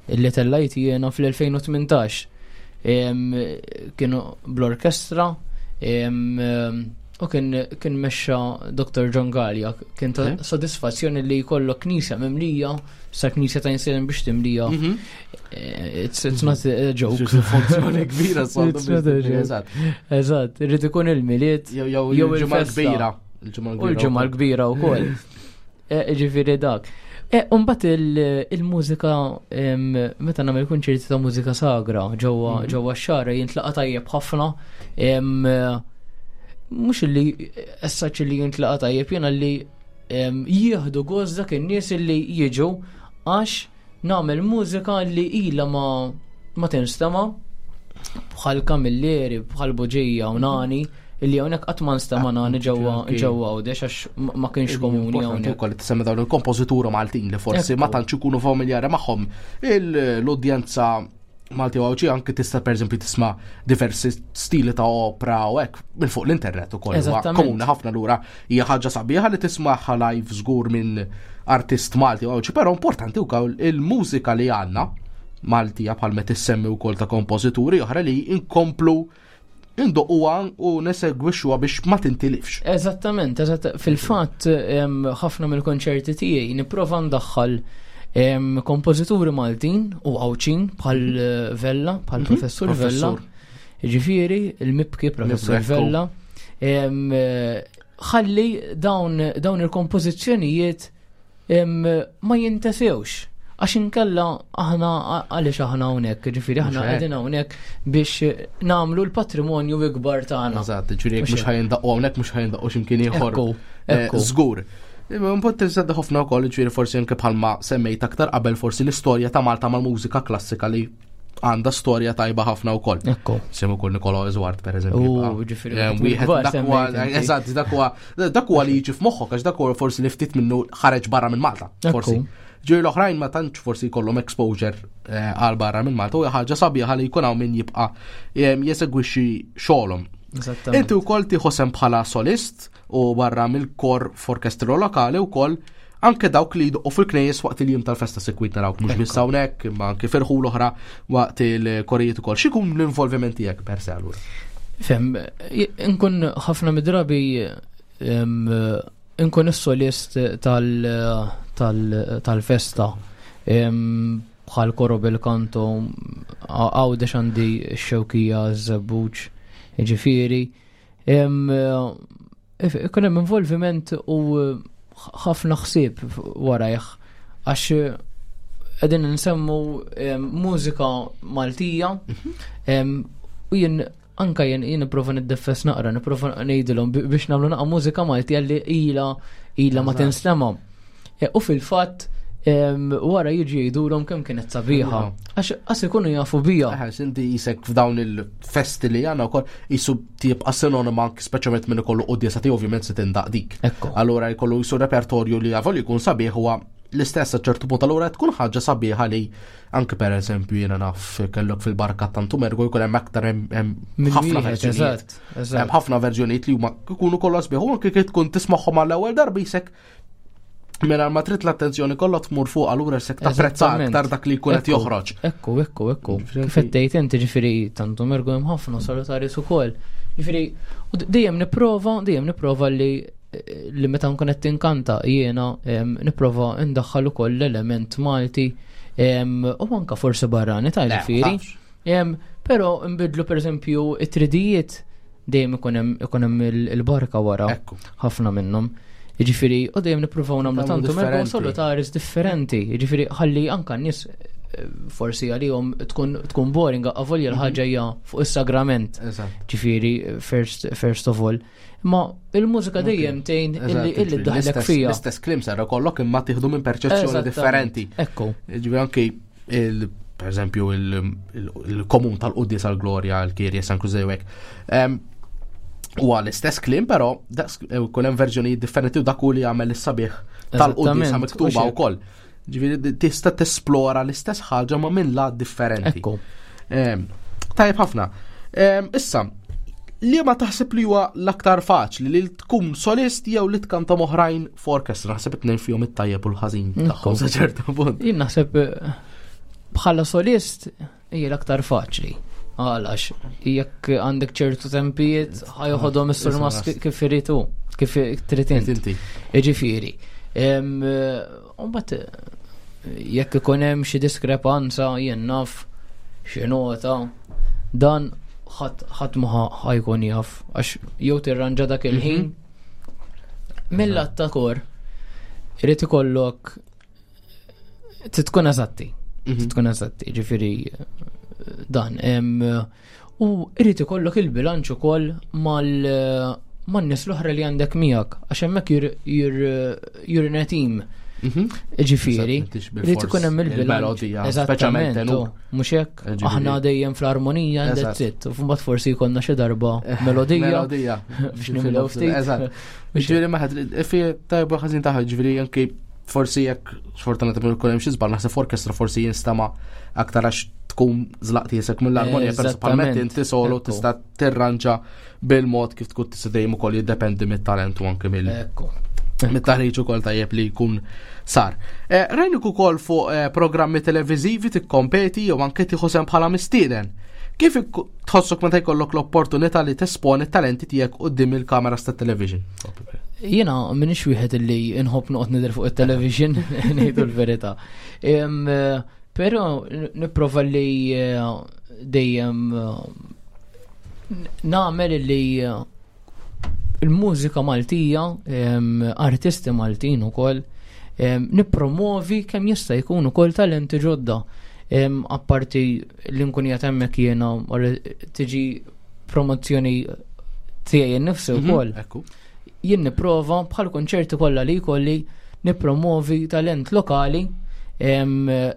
li tellajt jiena fl-elfejn u tmintax. Kienu bl-orkestra u kien kien mexxa Doktor John Gallia. Kien ta' sodisfazzjoni li jkollok knisja mimlija, sa knisja ta' Għajnsielem biex timlija. Mhm. Eh, it's, it's not a joke. Funzjoni kbira. It's not a joke. Eżatt, irid ikun il-Milied jew il-Ġimgħa Kbira. U l-Ġimgħa l-Kbira wkoll. Eh, ġifieri dak. E, Umbat il-mużika, meta nagħmel kunċerti ta' mużika sagra ġewwa mhm. ġewwa x-Xagħra jintlaqa tajjeb ħafna. Mhux li essaċ li jintlaqa tajjeb, jiena li jieħdu gost dak in-nies li jiġu għax nagħmel mużika li ila ma ma tinstema, bħal Camilleri, bħal Buġija u Nani, illi hawnhekk qatt ma nstema Nani ġewwa ġewwa Għawdex għax ma kienx komuni hawnhekk. Ukoll tisemmi dawn il-kompożitura Maltin li forsi ma tantx ikunu familjari magħhom l-udjenza Malti u Għawdxi, anke tista' pereżempju tisma' diversi stili ta' opera u hekk minn fuq l-internet ukoll. Komuni ħafna, lura hija ħaġa sabiħa li tismagħha live żgur minn artist Malti u Għawdxi, però importanti wkoll il-mużika li għandna Maltija bħal meta tissemmi wkoll ta' kompożituri oħra li inkomplu indoqquha u nesegwixxuha biex ma tintilifx. Eżattament, eżatt. Fil-fatt ħafna mill-konċerti tiegħi nipprova ndaħħal kompożituri Maltin u Għawdxin bħal eh, Vella, bħal mhm. Professur Vella. Ġifieri, il-mibki Professur Vella. Eh, ħalli dawn dawn il-kompożizzjonijiet ma jintesewx. Għax inkella aħna għaliex aħna hawnhekk, ġifieri aħna qegħdin hawnhekk biex nagħmlu l-patrimonju ikbar tagħna. Eżatt, ġifieri jekk mhux ħajindaqqu hawnhekk mhux ħajindaqqu x'imkien ieħor. Eh, żgur. Punt interessanti ħafna wkoll, ġifieri forsi anke bħalma semmejt aktar qabel forsi l-istorja ta' Malta mal-mużika klassika li għandha storja tajba ħafna wkoll. Ekku. Semmu kull Nikola Eżward pereżempju. U ġifieri. Wieħed dak eżatt dak huwa dak huwa li jiġi f'moħħok għax dak huwa forsi li ftit minnu ħareġ barra minn Malta. Forsi. Ġifieri l-oħrajn ma tantx forsi jkollhom exposure eh, għal barra minn Malta u ħaġa sabiħa li jkun hawn min jibqa' eh, jesegwixxi xogħolhom. Inti wkoll tieħu sehem bħala solist u barra mill-kor f'orkestru lokali wkoll anke dawk li jdoqqu fil-knejjes waqt il-jum tal-festa sikwit narawk mhux biss hawnhekk imma anke ferħu l-oħra waqt il-korijiet ukoll. X'ikun l-involviment tiegħek per se allura? Fem, nkun ħafna mid-drabi nkun is-solist tal-festa bħal koro bil-kanto għawdex għandi x-xewkija, z-żebbuġ, ġifieri. Ikun hemm involviment u ħafna ħsieb warajh għax qegħdin nsemmu mużika Maltija mhm. u jien anka jien jien nipprova niddeffes naqra, nipprova ngħidilhom biex nagħmlu naqa' mużika Maltija li ila ila ma tinstema'. E, u fil-fatt wara jiġi jgħidulhom kemm kienet sabiħa. Għax qas ikunu jafu bija. Għax inti jisek f'dawn il-festi li għandna wkoll jisu tibqa' sinonima anki speċjalment minn ikollu quddiesa tiegħu ovvjament se tindaq dik. Allura jkollu jisu repertorju li għavol jkun sabiħ huwa l-istess ċertu punt allura tkun ħaġa sabiħa li anke per eżempju jiena naf kellok fil-barka tantu mergu jkun hemm aktar hemm ħafna verżjonijiet. Hemm ħafna verżjonijiet li huma jkunu kollha sbieħ u anke kif tkun tismagħhom għall-ewwel darba jisek Mela ma trid l-attenzjoni kollha tmur fuq allura se tapprezza aktar dak li jkun qed joħroġ. Ekku, ekku, ekku. Kif qed tgħid inti ġifieri tantu mergu hemm ħafna salutaris ukoll. Ġifieri dejjem nipprova, dejjem nipprova li li meta nkun qed tinkanta jiena nipprova ndaħħal ukoll l-element Malti u anka forsi barrani ta' ġifieri. Però nbidlu pereżempju it-tridijiet dejjem ikun hemm il-barka wara ħafna minnhom. Jiġifieri, u dejjem nippruvaw nagħmlu tantu mergħu solutaris differenti. Jiġifieri ħalli anka n-nies eh, forsi għalihom tkun tkun boring avolja l-ħaġa hija fuq is-sagrament. Ġifieri first first of all. Ma il-mużika dejjem tgħin illi illi ddaħlek fija. L-istess kliem sar kollok imma tieħdu minn perċezzjoni differenti. Ekku. Ġifieri anki il per eżempju il-komun tal-Quddies għal-Glorja, l-Kirja San Krużewek. Huwa l-istess kliem, però kun hemm verżjonijiet differenti u dak li jagħmel is-sabiħ tal-quddiesa miktuba wkoll. Ġifieri tista' tesplora l-istess ħaġa ma' minn lat differenti. Ekku. Tajjeb ħafna. Issa, li ma taħseb li huwa l-aktar faċli li tkun solist jew li tkanta moħrajn f'orkestra, naħseb it-tnejn fihom it-tajjeb u l-ħażin tagħhom sa ċertu punt. Jien naħseb eh, bħala solist hija l-aktar faċli. Għalax, jekk għandek ċertu tempijiet, ħajoħodhom is-surmas kif iritu, kif trid inti. Jiġifieri. Mbagħad jekk ikun hemm xi diskrepanza jien naf xi nota, dan ħadd ma ħajkun jaf għax jew tirranġa dak il-ħin. Mhm. Mill-att ta' kor irid ikollok tkun eżatti. Mhm. Tkun eżatti, ġifieri dan. U irid ikollok il-bilanċ ukoll mal man-nies l-oħra li għandek miegħek, għax hemmhekk you're in a team. Mhm. Ġifieri, irid ikun hemm il-bilanċ. Eżattament, mhux hekk, aħna dejjem fl-armonija and that's it. U mbagħad forsi jkollna xi darba melodija. Melodija. Biex nimlew ftit. Eżatt. Ġifieri ma ħadd fi tajba ħażin taħ, ġifieri anki forsi jekk sfortunatament ikun hemm xi żball naħseb orkestra forsi jinstama' aktar għax tkun żlaqt jesek mill-armonija, principalment inti solo tista' tirranġa bil-mod kif tkun tista' dejjem ukoll jiddependi mit-talent u anke mill mit-taħriġ ukoll tajjeb li jkun sar. Eh, Rajnik ukoll fuq eh, programmi televiżivi tikkompeti jew anke tieħu sehem bħala mistieden. Kif tħossok meta jkollok l-opportunità li tesponi talenti tiegħek quddiem il-kameras tat-television? Jiena minix wieħed li nħobb noqgħod nidher fuq it-television, ngħidu l-verità. Però nipprova li eh, dejjem eh, nagħmel li eh, il-mużika Maltija, artisti Maltin ukoll, nippromovi kemm jista' jkun ukoll talenti ġodda. Apparti li nkun qiegħed hemmhekk jiena tiġi promozzjoni tiegħi nnifsi mhm, wkoll. Jien nipprova bħal konċerti kollha li jkolli nippromovi talent lokali,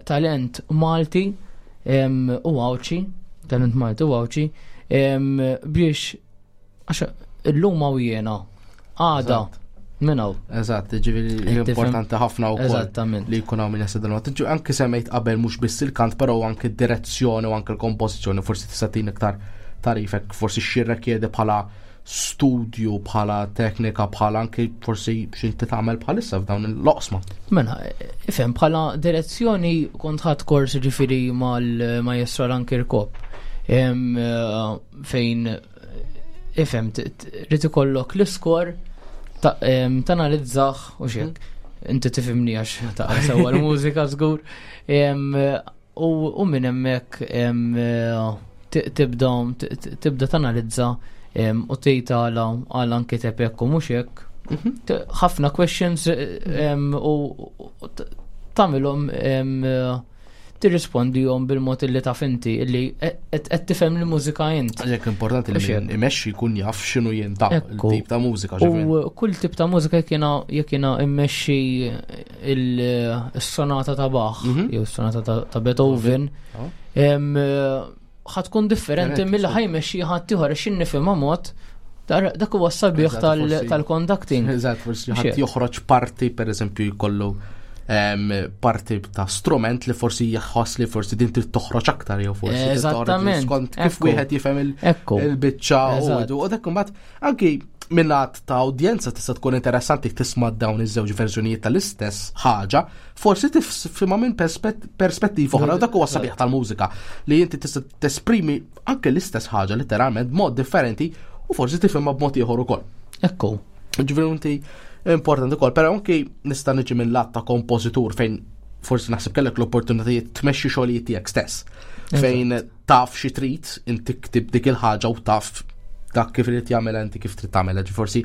talent Malti u Għawdxi, talent Malti u Għawdxi, biex għax illum hawn jiena għada minn hawn. Eżatt, ġifieri importanti ħafna wkoll. Eżattament. Li jkun hawn min jaħseb dan. Anke semmejt qabel mhux biss il-kant, però anke d-direzzjoni u anke l-kompożizzjoni, forsi tista' tagħtina iktar tagħrif, forsi x'jirrikjedi bħala studju, bħala teknika, bħala anke forsi x'inti tagħmel bħalissa f'dawn l-oqsma. Mela, ifhem, bħala direzzjoni kont ħadt kors ġifieri mal-maestro Alan Kirkop fejn ifhem trid ikollok l-iskor tanalizzah u xek. Inti tifhimni għax ta' sewa l-mużika żgur. U minn hemmhekk tibda tibda tanalizza u tgħid għala għala nkiteb hekk u mhux hekk. Mhm. Ħafna questions u tagħmilhom, tirrispondihom bil-mod illi taf inti illi qed tifhem il-mużika int. Għalhekk importanti li min imexxi jkun jaf x'inhu jinta il-tip ta' mużika. U kull tip ta' mużika, jekk jiena jekk jiena immexxi il-sonata ta' Bach mhm. jew sonata ta' Beethoven, oh. ħa tkun differenti mill ħa jmexxi ħadd ieħor għax nifhimha mod. Dak huwa s-sabiħ tal-conducting. Eżatt, forsi ħadd joħroġ parti, per eżempju, jkollu parti ta' strument li forsi jħoss li forsi din trid toħroġ aktar jew forsi Eżattament. skont kif wieħed jifhem il-biċċa u dak imbagħad anki minnat ta' udjenza tista' tkun interessanti tisma' dawn iż-żewġ verżjonijiet tal-istess ħaġa, forsi tifhimha minn perspettiva oħra, u dak huwa sabiħ tal-mużika li inti tista' tesprimi anke l-istess ħaġa letteralment b'mod differenti u forsi tifhimha b'mod ieħor ukoll. Ekku. Ġifieri inti importanti ukoll, però anki nista' niġi minn lat ta' kompożitur fejn forsi naħseb kellek l-opportunitajiet tmexxi xogħlijiet tiegħek stess. Fejn taf xi trid, inti ktib dik il-ħaġa u taf dak kif irid jagħmel inti kif trid tagħmel, forsi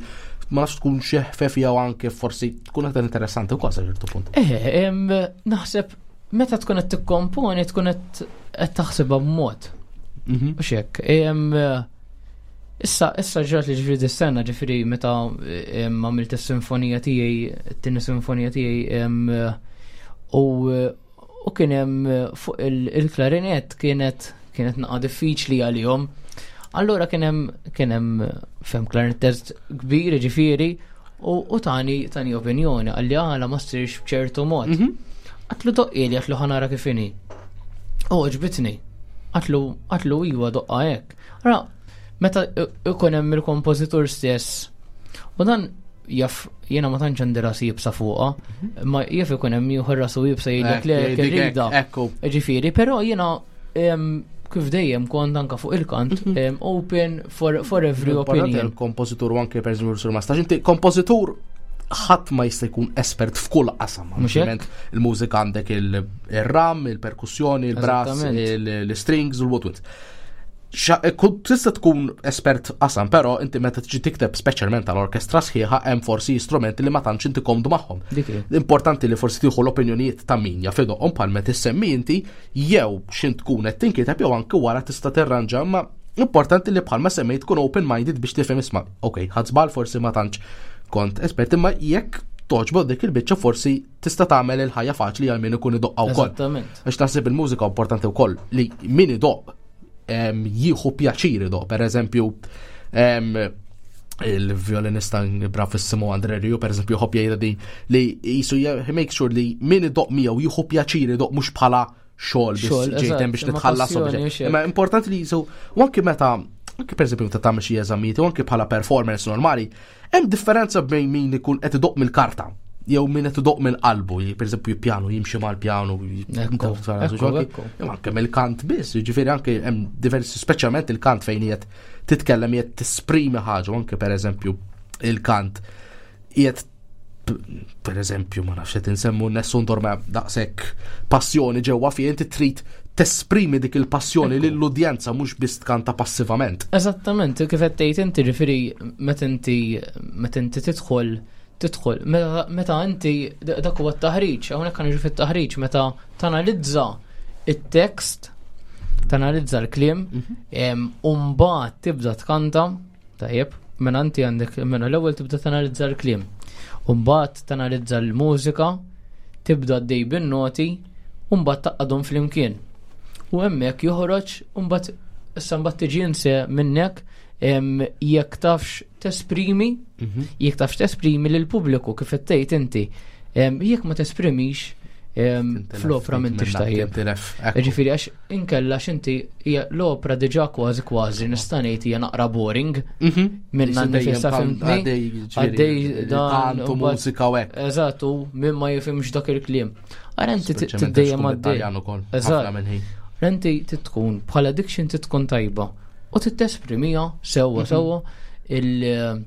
ma nafx tkun xi ħfef jew anke forsi tkun aktar interessanti wkoll sa ċertu punt. Eh, naħseb meta tkun qed tikkomponi tkun qed taħsibha b'mod. Mhm. U hekk. Issa, issa ġrat li ġifieri dis-sena, ġifieri meta għamilt is-sinfonija tiegħi, it-tieni sinfonija tiegħi, u u kien hemm fuq il-klarinet kienet kienet naqa diffiċli għalihom. Allura kien hemm kien hemm fem klarinettist kbir ġifieri u tani tani opinjoni għalli għala ma ssirx b'ċertu mod. Mhm. Għedtlu doqqhieli, għedtlu ħa nara kif inhi. U għoġbitni. Għedtlu għedtlu iwa doqqha hekk. Ara, meta ikun hemm il-kompożitur stess. U dan jaf jiena ma tantx għandi rasi iebsa fuqha, mhm. ma jaf ikun hemm ieħor rasu iebsa jgħidlek le irrida. Ġifieri, però jiena kif dejjem kont anka fuq il-kant mhm. open for, for every opinion. Il-kompożitur u anke per eżempju sur Mastax, inti kompożitur ħadd ma jista' jkun espert f'kull qasam. Ovvjament il-mużika għandek il-ram, il-perkussjoni, il-brass, il-strings u l-woodwinds. Tista' tkun espert qasam, però inti meta tiġi tikteb speċjalment tal-orkestra sħiħa hemm forsi strumenti li ma tantx inti komdu magħhom. Importanti li forsi tieħu l-opinjonijiet ta' min jaf idoqqhom bħal meta issemmi inti jew x'int tkun qed tinkiteb jew anke wara tista' tirranġa, ma importanti li bħalma semmejt tkun open-minded biex tifhem, isma' ok, ħadt żball, forsi ma tantx kont espert, imma jekk togħġbok dik il-biċċa forsi tista' tagħmel il-ħajja faċli għal min ikun idoqqa wkoll. Għax naħseb il-mużika importanti wkoll li min idoq jieħu pjaċir idoq. Per eżempju, il-violinista bravissimo Andre Rieu, per eżempju, jħobb jgħidha din li jisu make sure li min idoq miegħu jieħu pjaċir idoq, mhux bħala xogħol biex ġejtem biex nitħallas. Imma importanti li jisu u anke meta anke per eżempju meta tagħmel xi eżamijiet u anke bħala performance normali, hemm differenza bejn min ikun qed idoq mill-karta. jew min qed idoqq minn qalbu, per eżempju pjanu, jimxi mal-pjanu, anke mill-kant biss, jiġifieri anke hemm diversi, speċjalment il-kant fejn qiegħed titkellem, qiegħed tesprimi ħaġa, anke per eżempju il-kant qiegħed, per eżempju, ma nafx, qed insemmu Nessun Dorma, daqshekk passjoni ġewwa fih, inti trid tesprimi dik il-passjoni lill-udjenza, mhux biss tkanta passivament. Eżattament, kif qed tgħid inti, ġifieri meta inti meta inti tidħol tidħol meta inti, dak huwa t-taħriġ, hawnhekk niġu fit-taħriġ, meta tanalizza it-tekst, tanalizza l-kliem, mhm. u mbagħad tibda tkanta, tajjeb, mela inti għandek, mela l-ewwel tibda tanalizza l-kliem. U mbagħad tanalizza l-mużika, tibda għaddej bin-noti, u mbagħad tgħaqqadhom flimkien. U hemmhekk joħroġ, u mbagħad issa mbagħad tiġi inse minnek jekk tafx tesprimi, mhm. jekk tafx tesprimi lil pubbliku kif qed tgħid inti. Jekk ma tesprimix fl-opra m'intix tajjeb. Ġifieri għax inkella x'inti l-opra diġà kważi kważi nista' ngħid hija naqra boring mhm. minna nifisha, fhimtni? Għaddej dan u mużika u hekk. Eżatt, u min ma jifhimx dak il-kliem. Ara inti tiddejjem għaddej. Eżatt. Inti tkun bħala diction tkun tajba u titesprimija sewwa mhm. sewwa il-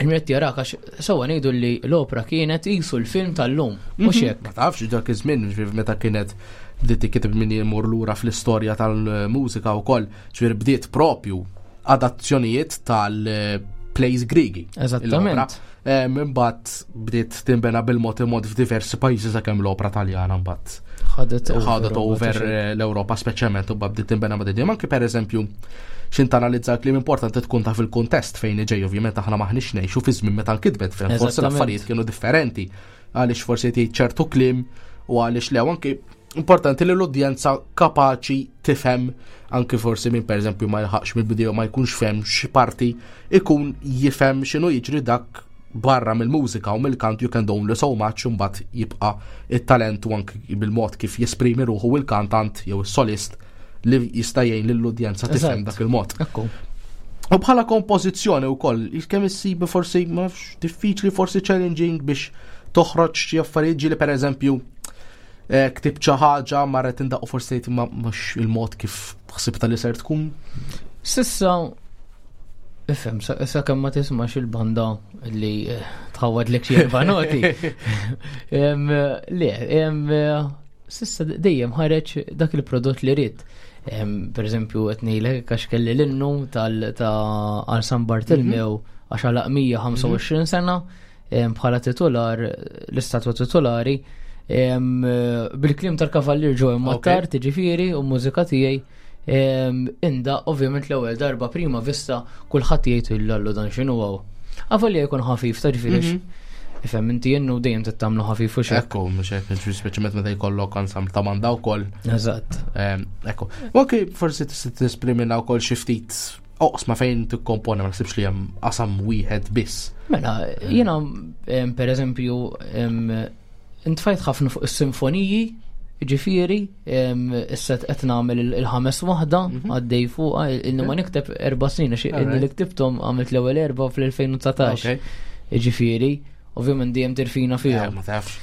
Il-mret jarak, għax sewwa ngħidu li l-opra kienet qisu l-film tal-lum, mhux mhm. hekk? Ma tafx dak iż-żmien meta kienet bdiet tikteb, min jmur lura fl-istorja tal-mużika wkoll, ġifieri bdiet propju adazzjonijiet tal-plays Grigi. Eżattament. Imbagħad bdiet tinbena bil-mod il-mod f'diversi pajjiżi sakemm l-opra Taljana mbagħad ħadet ħadet over l-Ewropa speċjalment u bdiet tinbena ma' dinja. Anke per eżempju xin tanalizza kliem, importanti tkun taf il-kuntest fejn ġej. Ovvjament aħna maħniex ngħixu fi żmien meta nkitbet, fejn forsi l-affarijiet kienu differenti, għaliex forsi tgħid ċertu kliem u għaliex le. Anke importanti li l-udjenza kapaċi tifhem, anke forsi min per eżempju ma jilħaqx mill-video, ma jkunx fehem xi parti, ikun jifhem x'inhu jiġri. Dak barra mill-mużika u mill-kant, you can do only so much, mbagħad jibqa' it-talent u anke bil-mod kif jesprimi ruħu il-kantant jew is-solist li jista' jgħin lill-udjenza tifhem dak il-mod. U bħala kompożizzjoni wkoll, kemm issibi forsi, ma nafx, diffiċli, forsi challenging biex toħroġ xi affarijiet, ġieli per eżempju eh, ktib xi ħaġa, marret indaqu, forsi tgħid ma mhux il-mod kif ħsibta li ser tkun? S'issa, ifhem, sa kemm ma tismax il-banda li eh, tħawad lek xi erba' noti. Le, s'issa dejjem ħareġ dak il-prodott li rrid. Per eżempju, qed ngħidlek għax kelli l-innu tal ta' għal San Bartilmew mhm. għax għalaq mija u ħamsa u għoxrin sena bħala titular, l-istatwa titolari, bil-kliem tal-Kavallier Joe Mattar, tiġifieri, u mużika tiegħi. Inda, ovvjament l-ewwel darba prima vista kulħadd jgħid, "Illallu, dan x'inhu hawn?" Avolja jkun ħafif ta' ġifieri. Mhm. Ifhem inti jennu dejjem tittamlu ħafif u xek. Ekku, mhux hekk, speċjalment meta jkollok ensemble ta' banda wkoll. Eżatt. Ekku. U anke forsi tista' tesprimina wkoll xi ftit oqsma fejn tikkomponi, ma naħsibx li hemm qasam wieħed biss. Mela, jiena per eżempju intfajt ħafna fuq is-sinfoniji, ġifieri, issa qed nagħmel il-ħames waħda mhm. għaddej fuqha, inni ma nikteb erba' snin, għax inni li ktibthom għamilt l-ewwel erba' fl-elfejn u dsatax. Ġifieri, ovvjament dejjem tirfina fihom. Eh, ma tafx.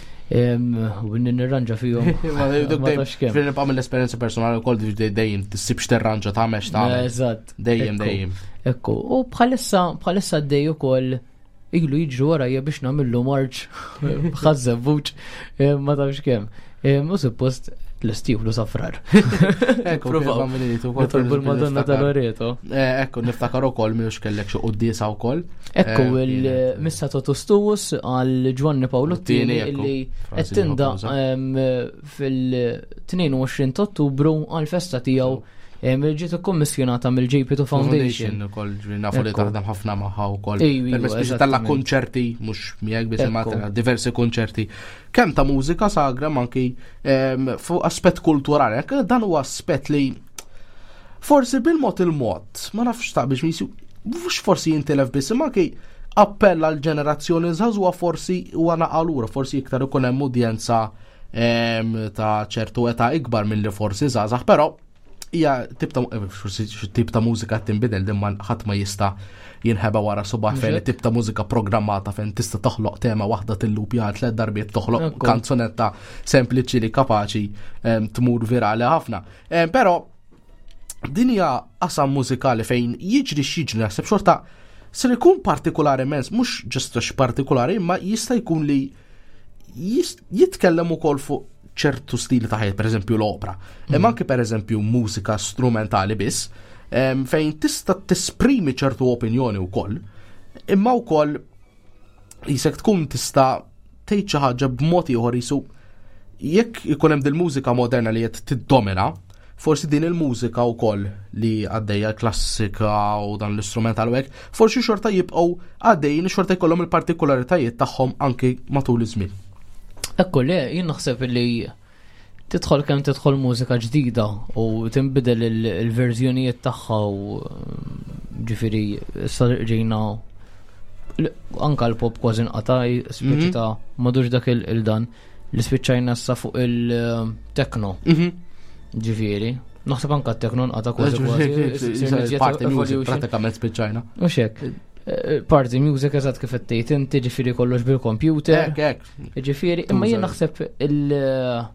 U nirranġa fihom. Ma tafx kemm. Fil nibqa' mill-esperjenza personali wkoll, dejjem tissibx terranġa, tagħmel x'tagħmel. Eżatt. Dejjem, dejjem. Ekku, u bħalissa bħalissa għaddej ukoll, ilu jiġru warajja biex nagħmillu marċ Ħaż-Żebbuġ, ma tafx kemm. U suppost l-istiflu safrar. Ekku, Nitolbu l-Madonna tal-Loreto. Eh, ekku, niftakar ukoll minux kellek xi quddiesa wkoll. Ekku, eh, il-Missa Totus Tuus għal Ġwanni Pawlu t-tieni illi qed tindaqq fil-tnejn u għoxrin ta' Ottubru għal festa tiegħu, ġiet ikkommissjonata mill-J P two Foundation. Foundation ukoll, nafu li taħdem ħafna magħha wkoll. Permezz tella' konċerti, mhux miegħek biss imma diversi konċerti. Kemm ta' mużika sagra ma anki fuq aspett kulturali. Dan huwa aspett li forsi bil-mod il-mod, ma nafx ta' biex misi, mhux forsi jintilef biss, imma anki appella l ġenerazzjoni żagħżugħa forsi huwa naqalura, forsi iktar ikun hemm udjenza ta' ċertu età ikbar minn li forsi żgħażagħ, però Hija tip ta' eh, forsi xi tip ta' mużika tinbidel din ma ħadd ma jista' jinħeba wara subaħ fejn tip ta' mużika programmata fejn tista' toħloq tema waħda tillupja tliet darbiet toħloq Ekku. kanzunetta sempliċi li kapaċi em, tmur virali ħafna. Em, Però din hija qasam mużikali fejn jiġri x'jiġri naħseb xorta ser ikun partikolari immens, mhux just għax partikolari, imma jista' jkun li jis- jitkellem ukoll fuq ċertu stili ta' ħajja, per eżempju l-opera. Imma anke per eżempju mużika strumentali biss, em, fejn tista' tesprimi ċertu opinjoni wkoll, imma wkoll jisek tkun tista' tgħid xi ħaġa b'mod ieħor jisu jekk ikun hemm dil-mużika moderna li qed tiddomina, forsi din il-mużika wkoll li għaddejja klassika u dan l-istrumental u hekk, forsi xorta jibqgħu għaddejjin xorta jkollhom il-partikolaritajiet tagħhom anki matul iż-żmien. Ekku, le, jien naħseb li tidħol kemm tidħol mużika ġdida u tinbidel il- il-verżjonijiet tagħha u ġifieri issa ġejna l- anka l-pop kważi nqata' speċi Mhm. ta' madux dak il- il-dan li spiċċajna issa fuq il-techno ġifieri. Naħseb anka t-techno nqata' kważi kważi. Party music Evolution. pratikament spiċċajna. U xek. Party music eżatt kif qed tgħid inti ġifieri kollox bil-computer. Hekk, hekk. Ġifieri, imma jien Tuża. naħseb il-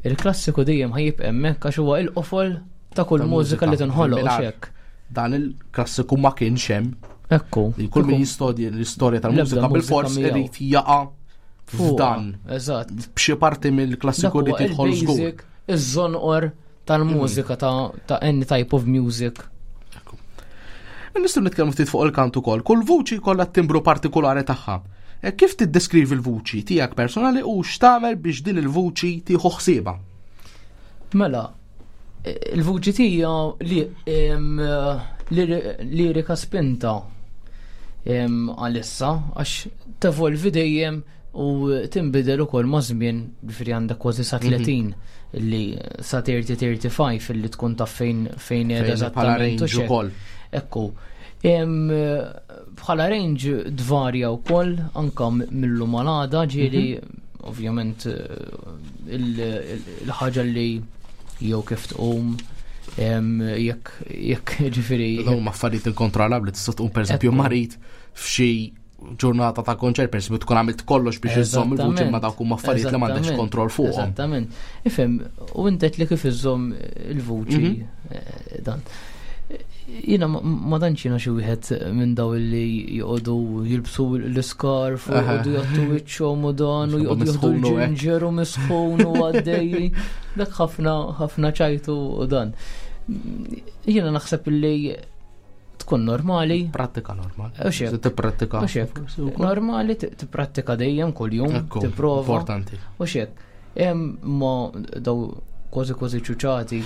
il-klassiku dejjem ħa jibqa' hemmhekk għax huwa il-qofol ta' kull Ta' mużika li mużika. tinħoloq u Mingħajr. xek. Dan il-klassiku ma kienx hemm. Ekku. Li kull min jistudja l-istorja tal-mużika L-ebda bil-fors mużika miegħu. irid jaqa' f'dan. Eżatt. B'xi parti mill-klassiku Dak li huwa tidħol żgur. il-basic, iż-żonqor tal-mużika ta' ta' any type of music. Nistgħu nitkellmu ftit fuq il-kant ukoll. Kull vuċi kollha timbru partikolari tagħha. E Kif tiddeskrivi l-vuċi tiegħek personali u x'tagħmel biex din il-vuċi tieħu ħsiebha? Mela, il-vuċi tija li em, lir- lirika spinta em, għalissa għax tevolvi dejjem u tinbidel ukoll ma' żmien ġifieri għandek kważi sa tletin li sa tletin tlieta u tletin illi tkun taf fejn fejn qiegħda Fejn bħala eżattament u range x'hekk. ukoll. Ekku. Em, Bħala range tvarja wkoll anka mill-lum għal għada ġieli ovvjament eh, il- il- il-ħaġa li jew kif tqum em, jekk jekk ġifieri Dawn huma affarijiet inkontrollabbli tista' tqum pereżempju Ekku. marid f'xi ġurnata ta' konċert pereżempju tkun għamilt kollox biex iżżomm il-vuċi ma dawk huma affarijiet li m'għandekx Eżattament, kontroll fuqhom. Eżattament. Ifhem, u inti li kif iżżomm il-vuċi Mhm. eh, dan. Jiena ma- ma tantx jiena xi wieħed minn daw li joqogħdu jilbsu l-iskarf u Aha. joqogħdu jgħattu wiċċhom u dan u joqogħdu jieħdu Misħun u hekk. l-ġinġer u misħun u għaddej. Dak ħafna ħafna ċajtu u dan. Jiena naħseb li tkun normali. Prattika normali. U xek. Se tipprattika. U xek. Normali ti- tipprattika dejjem kuljum, Ekku, tipprova. Importanti. U xek, hemm ma daw kważi kważi ċuċati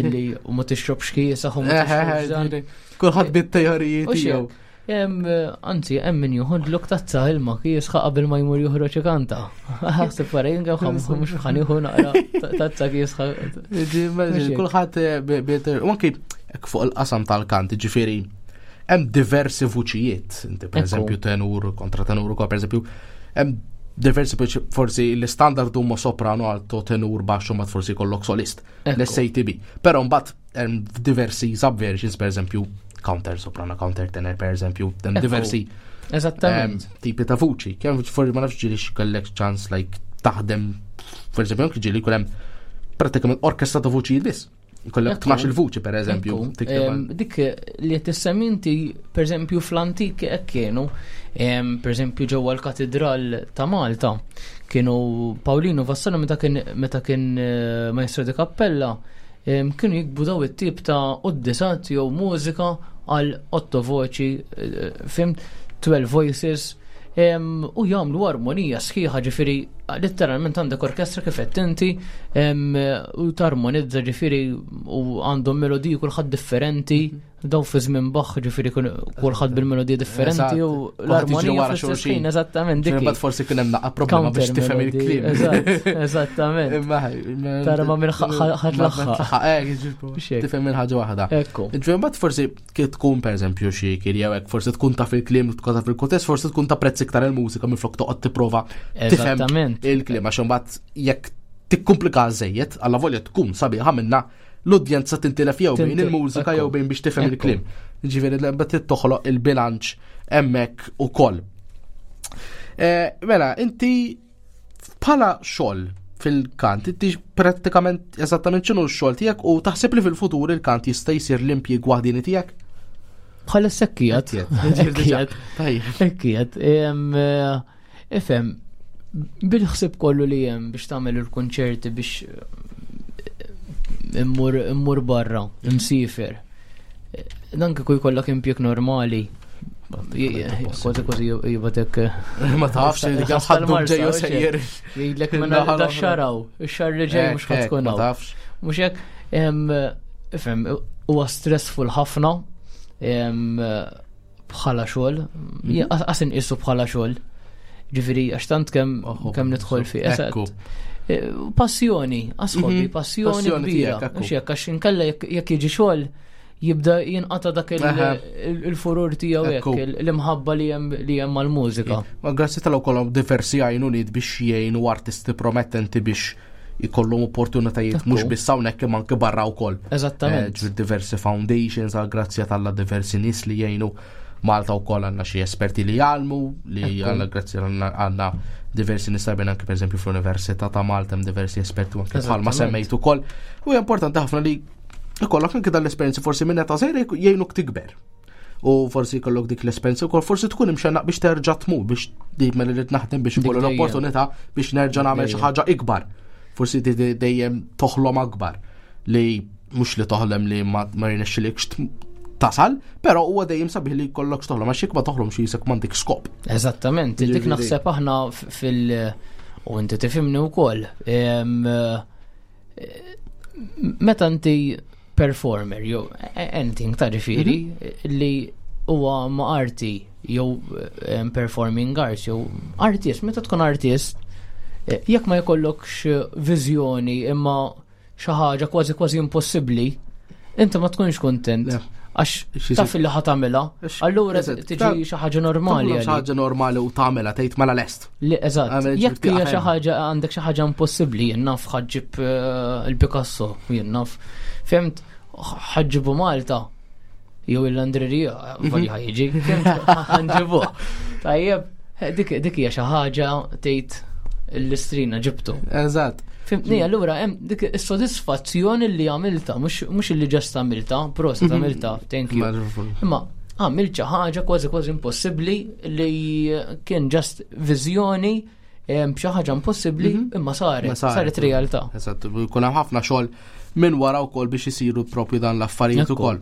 li u ma tixrobx kiesaħ u ma tixrobx dan. Kulħadd bit-teoriji U xek, tiegħu. hemm anzi hemm min joħodlok tazza ilma kiesħa qabel ma jmur joħroġ ikanta. Ħassib wara jien kemm mhux ħa nieħu naqra tazza kiesħa. Ġi, Kulħadd eh, bi- bi- u anki hekk fuq il-qasam tal-kant, ġifieri hemm diversi vuċijiet, inti per Ekku. eżempju tenur, kontratenur ukoll per eżempju, hemm diversi forsi l-standard huma soprano, alto, tenur, baxxu, ma forsi kollok solist, Ekku. l-S A T B. Però mbagħad hemm diversi subversions, per eżempju counter soprano, counter tenor, per eżempju, hemm Ekku. diversi Eżattament. em, tipi ta' vuċi. Kemm forsi ma nafx ġieli kellek ċans like taħdem, per eżempju, anke ġieli jkun hemm pratikament orkestra ta' vuċi biss. Kollek Ekku. tnax il-vuċi per eżempju. Ekku, tikteb em, Dik li qed tissemmi inti, per eżempju, fl-antik hekk kienu, em, per eżempju ġewwa l-Katedral ta' Malta, kienu Paolino Vassallo meta kien meta kien eh, maestro di cappella, em, kienu jiktbu daw it-tip ta' quddisat jew mużika għal otto voċi, eh, fhimt, twelve voices, em, u jagħmlu armonija sħiħa ġifieri letteralment għandek orkestra kif qed inti em, u tarmonizza ġifieri u għandhom melodiji kulħadd differenti daw fi żmien Bach ġifieri kun- kulħadd bil-melodija differenti u Eżatt. Kulħadd jiġri l-armonija wara fl-istess xulxin. ħin eżattament dik. Mbagħad forsi kien hemm naqra problema biex Counter tifhem melody, il-kliem. Eżatt, eżattament. Imma Tara ma minn ħadd laħħaq. Eh, Xek. tifhem il-ħaġa waħda. Ekku. Ġifieri mbagħad forsi kif tkun pereżempju xi kirja hekk, forsi tkun taf il-kliem, tkun taf il-kuntest, forsi tkun tapprezzi iktar il-mużika minflok toqgħod tipprova tifhem Eżattament. il-kliem għax imbagħad jekk tikkumplika żejjed, alla volja tkun sabiħa minna l-udjenza tintilef jew bejn il-mużika jew bejn biex tifhem il-kliem. Ġifieri l toħloq il-bilanċ hemmhekk ukoll. Eh, mela, inti bħala xogħol fil-kant, inti prattikament eżattament x'inhu x-xogħol tiegħek u taħseb li fil-futur il-kant jista' jsir l-impjieg waħdini tiegħek? Bħala sekkijat. Ekkijat. Ekkijat. Ifhem, bil-ħsib kollu li hemm biex tagħmel il-kunċerti biex eh, immur immur barra, imsifer. Dan kieku jkollok impjieg normali. Kważi kważi jibatek. Ma tafx li ħaddu ġejju sejjer. Jgħidlek minn da xaraw, ix-xahar li ġej mhux ħadd tkun Ma tafx. Mhux hekk, ifhem, huwa stressful ħafna bħala xogħol, mhm. qas inqisu bħala xogħol. Ġifieri għax tant kemm kemm nidħol fi. E, passjoni, għasħobi, mhm. passjoni kbira. Mhux hekk għax inkella jekk jiġi xogħol jibda jinqata dak il-furur tiegħu hekk, l-imħabba li hemm li hemm mal-mużika. Ma grazzi tal kollhom diversi għajnuniet biex jgħinu artisti promettenti biex jkollhom opportunitajiet mhux biss hawnhekk imma anke barra wkoll. Eżattament. Eh, diversi foundations għal grazzja tal diversi nies li jgħinu Malta wkoll għandna xi esperti li jgħallmu li għandna grazzi għandna diversi nies tajbin anke pereżempju fl-Università ta' Malta hemm diversi esperti anke bħalma semmejt ukoll. U hija importanti ħafna li ikollok anke dan l-esperjenzi forsi minn età żgħira jgħinuk tikber. U forsi jkollok dik l-esperjenza wkoll forsi tkun imxennaq biex terġa' tmur biex dik mela rrid naħdem biex ikollu l-opportunità biex nerġa' nagħmel xi ħaġa ikbar. Forsi dejjem toħlom akbar li mhux li toħlem li ma rnexxilikx tasal, però huwa dejjem sabiħ li jkollok toħlom għax jekk ma toħlomx jisek m'għandek skop. Eżattament, dik naħseb aħna fil- u inti tifhimni wkoll. Meta inti performer jew anything ta' ġifieri mhm. li huwa ma' arti jew performing arts jew artist, meta tkun artist, eh, jekk ma jkollokx viżjoni imma xi ħaġa kważi kważi impossibbli, inti ma tkunx kontent. Għax taf li ħa tagħmilha, allura tiġi xi ħaġa normali. Xi ħaġa normali u tagħmilha tgħid mela lest. Li eżatt. Jekk hija xi ħaġa għandek xi ħaġa impossibbli, jien naf ħaġġib eh, il-Picasso, jien naf. Fimt, ħaġġibu Malta jew il-Landrerija, mhm. vali ħajġi, ħanġibuh. Tajjeb, dik dik hija xi ħaġa tgħid l-istrina ġibtu. Eżatt. Fimtni, allura hemm dik is-sodisfazzjoni li għamilta, mhux li ġast għamilta, proset mhm. għamilta, thank you. Imma għamilt xi ħaġa kważi kważi impossibbli li kien ġast viżjoni xi ħaġa impossibbli mhm. imma saret, saret realtà. Eżatt, jkun hemm ħafna xogħol minn wara wkoll biex isiru propju dan l-affarijiet ukoll.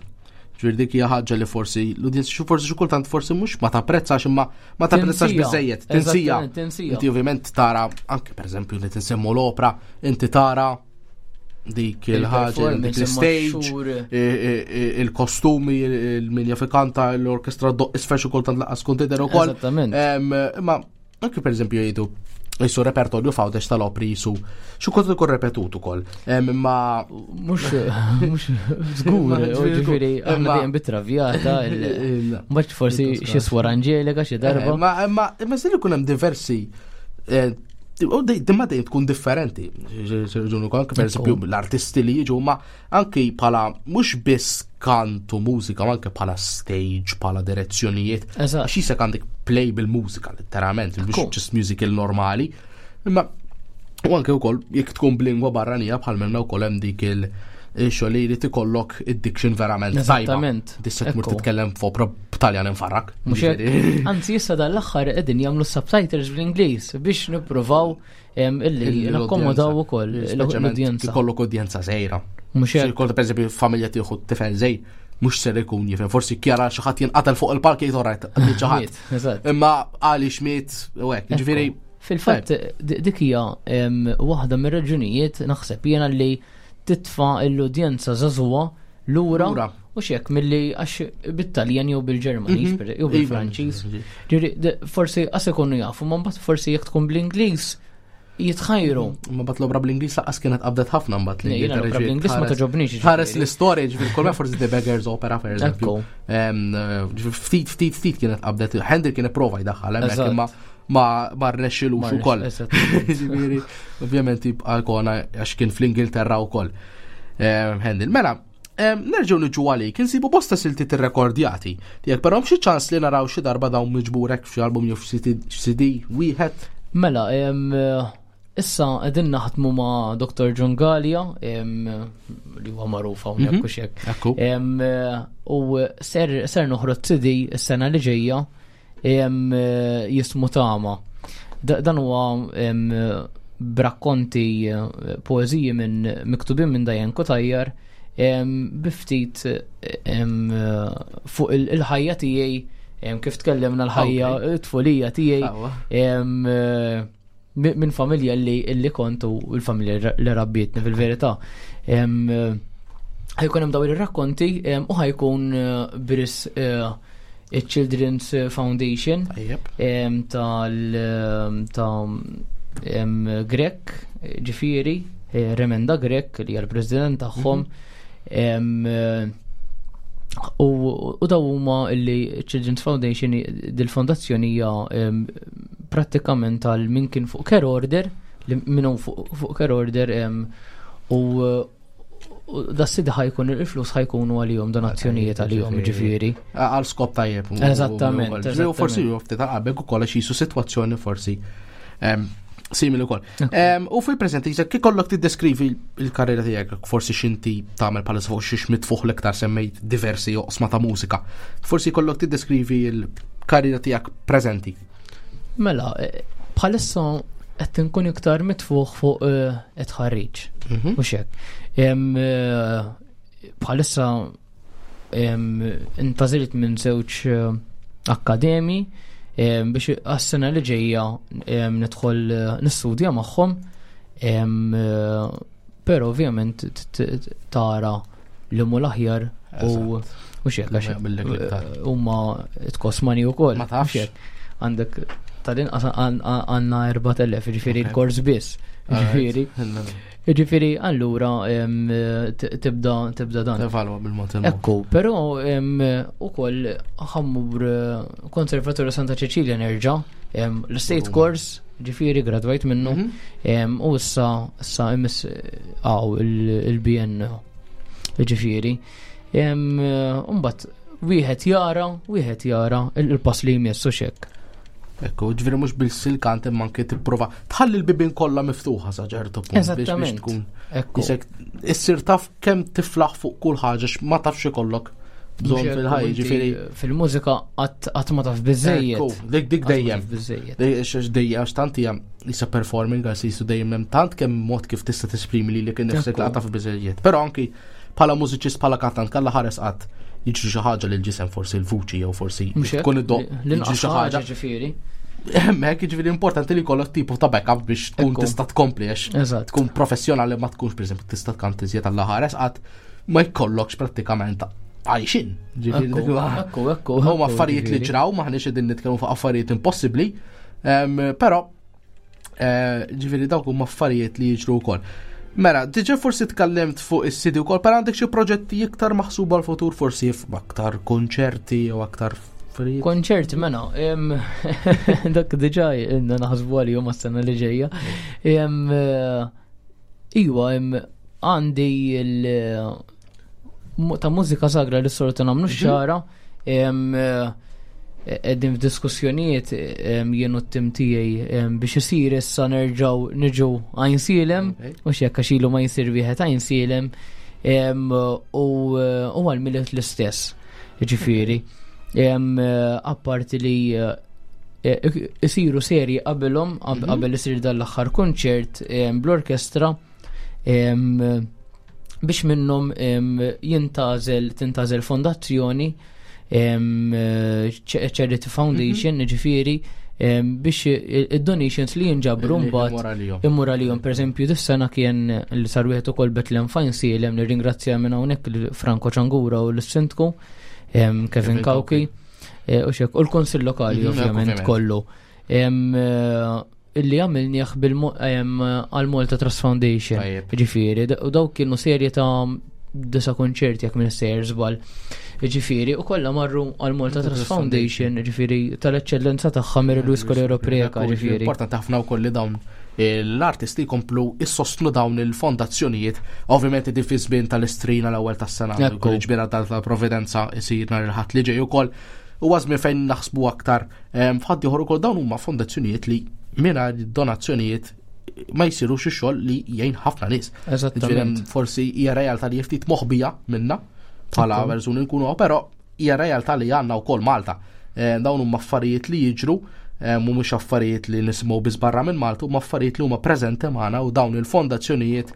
Ġifieri dik hija ħaġa li forsi l-udjenza xi forsi xi kultant forsi mhux ma tapprezzax imma ma tapprezzax biżejjed, tinsija. Inti ovvjament tara anke pereżempju li tinsemmu l-opra, inti tara dik il-ħaġa, dik l-stage, il-kostumi, il-min jaf ikanta, l-orkestra doq isfel xi kultant laqas tkun tidher ukoll. Imma anke pereżempju jgħidu jisu repertorju fawdex tal-opri jisu xi kont ikun repetut ukoll. Imma mhux mhux żgur, ġifieri aħna dejjem bit-travjata, mbagħad forsi xi swar Angelika xi darba. Ma imma imma se ikun hemm diversi eh, u dimma dejjem tkun differenti. Ġunu anke per eżempju l-artisti li jiġu ma anke bħala mhux biss kantu mużika, ma anke bħala stage, bħala direzzjonijiet. Għax jisek għandek play bil-mużika, letteralment, mhux just musical normali. Imma u anke wkoll jekk tkun b'lingwa barranija bħal minna wkoll hemm dik il- xogħol li jrid ikollok id-diction verament tajba. Tista' tmur titkellem f'opra b'Taljan infarrak. Anzi issa dal-aħħar qegħdin jagħmlu subtitles bl-Ingliż biex nippruvaw illi nakkomodaw ukoll l-udjenza. Ikollok udjenza żgħira. Mhux hekk. Ikollok pereżempju familja tieħu tifel żgħir mhux ser ikun jifhem, forsi kjara xi ħadd jinqatel fuq il-palk jgħid orajt, miet xi ħadd. Imma għaliex miet u hekk, ġifieri. Fil-fatt dik hija waħda mir-raġunijiet naħseb jiena li titfa' l-udjenza żagħżugħa lura u xek milli għax bit-Taljan jew bil-Ġermaniż mhm. jew bil-Franċiż. Ġifieri forsi qas ikunu jafu, ma mbagħad forsi jekk tkun bl-Ingliż jitħajru. Ma bat l-obra bl-Ingliż laqas kienet qabdet ħafna mbagħad li. L-obra bl-Ingliż ma toġobniex. Ħares l-istorja ġifieri kull forsi The Beggar's Opera per eżempju. Ftit ftit ftit kienet qabdet. Handel kien ipprova jdaħħal hemmhekk imma ma ma rnexxilux ukoll. Ġifieri ovvjament jibqa' kona għax kien fl-Ingilterra wkoll. handle. Mela, nerġgħu niġu għalik, insibu bosta silti tirrekordjati. Tiegħek però xi ċans li naraw xi darba dawn miġburek f'xi album jew f'C D wieħed? Mela, issa qegħdin naħdmu ma' Doctor John Gallia, li huwa magħruf hawnhekk u xek. U ser ser noħroġ C D s-sena li ġejja jismu Tama. Dan huwa b'rakkonti, poeżiji minn miktubin minn Diane Cutajar bi ftit fuq il-ħajja tiegħi, kif tkellimna, l-ħajja tfulija tiegħi minn familja li li kont u l-familja li rabbietni fil-verità. Ħa jkun hemm dawn ir-rakkonti u ħa jkun b'risq il-Children's Foundation tal ta' Grech, ġifieri, Remenda Grech li hija l-president tagħhom. U daw huma li Children's Foundation, dil-fondazzjoni hija prattikament għal min kien fuq care order, li minnu fuq care order, u das-C D ħa jkun, il-flus ħa jkunu għalihom, donazzjonijiet għalihom, ġifieri. Għal skop tajjeb. Eżattament. U forsi ju ftit qabel ukoll għax jisu sitwazzjoni forsi simili wkoll. U fil-preżenti, kif kollok tiddeskrivi il-karriera tiegħek, forsi x'inti tagħmel bħalissa, fuq xiex mitfuħ l-iktar, semmejt diversi oqsma ta' mużika. Forsi kollok tiddeskrivi il-karriera tiegħek preżenti. Mela, bħalissa qed nkun iktar mitfuħ fuq it-tħarriġ. Mhux hekk. Bħalissa intgħażilt minn żewġ akkademi biex għas-sena li ġejja nidħol nistudja magħhom, però ovvjament tara li mu l-aħjar u u xek, għax huma tkos money ukoll. Ma tafx. Għandek tal-inqas għandna erbat elef, ġifieri l-kors biss. Ġifieri. Ġifieri, allura tibda tibda dan. Tevalwa bil-mod. Ekku, però ukoll ħa mmur Konservatorju Santa Cecilia nerġa', l-state course, ġifieri gradwajt minnu, u issa issa imiss għaw il-B N. Ġifieri. Mbagħad wieħed jara, wieħed jara il-pass li jmissu xek. Ekku, ġifieri mhux bil-silkant imma anke tipprova tħalli l-bibin kollha miftuħa sa ċertu punt biex biex tkun. Ekku. Isek issir taf kemm tiflaħ fuq kull ħaġa, ma tafx ikollok bżonn fil-ħajja, ġifieri. Fil-mużika qatt ma taf biżejjed. Ekku, dik dik dejjem. Biżejjed. Dejjem, għax tant hija isa performing għax jisu dejjem hemm tant kemm mod kif tista' tesprimi li kien nifsek la taf biżejjed. Però anki bħala mużiċist, bħala kantant, kalla ħares qatt jiġri xi ħaġa lil ġisem, forsi l-vuċi jew forsi tkun id-doq jiġri xi ħaġa, ġifieri. Hemmhekk jiġifieri importanti li jkollok tipu ta' backup biex tkun tista' tkompli, għax tkun professjonali ma tkunx, pereżempju, tista' tkanti iżjed alla ħares qatt ma jkollokx prattikament għajxin. Ekku, ekku. Huma affarijiet li ġraw, maħniex qegħdin nitkellmu fuq affarijiet impossibbli, però eh, ġifieri dawk huma affarijiet li jiġru wkoll. Mela, diġa forsi tkellimt fuq is-C D wkoll, però għandek xi proġetti iktar maħsuba l-futur, forsi aktar konċerti jew aktar affarijiet? Konċerti, mela, dak diġa ilna naħsbu għalihom għas-sena li ġejja. Iwa, għandi il- ta' mużika sagra li s-soltu nagħmlu mhm. xara, qegħdin f'diskussjonijiet jien u t-tim tiegħi biex isir issa nerġgħu niġu Għajnsielem, u x'jekk għax ilu ma jsir wieħed Għajnsielem, u għal-Milied l-istess, ġifieri. Apparti li isiru serji qabilhom, mhm. qabel isir dal-aħħar konċert bl-orkestra, biex minnhom jintgħażel tintgħażel fondazzjoni, Charity Foundation, mhm. ġifieri, biex id-donations li jinġabru mbagħad immur għalihom. Per eżempju, dis-sena kien li sar wieħed ukoll Bethlehem f'Għajnsielem, nirringrazzja minn hawnhekk Franco Ċangura u l-Sindku Kevin Cauchi e, u xek u l-Konsil Lokali mhm, ovvjament kollu illi għamilnieh għal Malta Trust Foundation. Ġifieri, u dawk kienu serje ta' disa konċerti, jekk minn sejjer żball. Ġifieri, u kollha marru għal Malta Trust Foundation, ġifieri tal-eċċellenza tagħha Mary Louise Coleiro Preca, ġifieri. Importanti ħafna wkoll li dawn l-artisti jkomplu issostnu dawn il-fondazzjonijiet, ovvjament di fi żmien tal-Istrina l-ewwel tas-sena, Ekku. il-ġbira tal-Providenza isir nhar il-Ħadd li ġej ukoll. U żmien fejn naħsbu aktar f'ħadd ieħor ukoll dawn huma fondazzjonijiet li mingħajr donazzjonijiet ma jsirux ix-xogħol li jgħin ħafna nies. Eżattament. Ġifieri forsi hija realtà li ftit moħbija minna bħala Ekku. persuni nkunu, però hija realtà li għandna wkoll Malta. Eh, Dawn huma affarijiet li jiġru, eh, mhumiex affarijiet li nisimgħu biss barra minn Malta, huma affarijiet li huma preżenti magħna u dawn il-fondazzjonijiet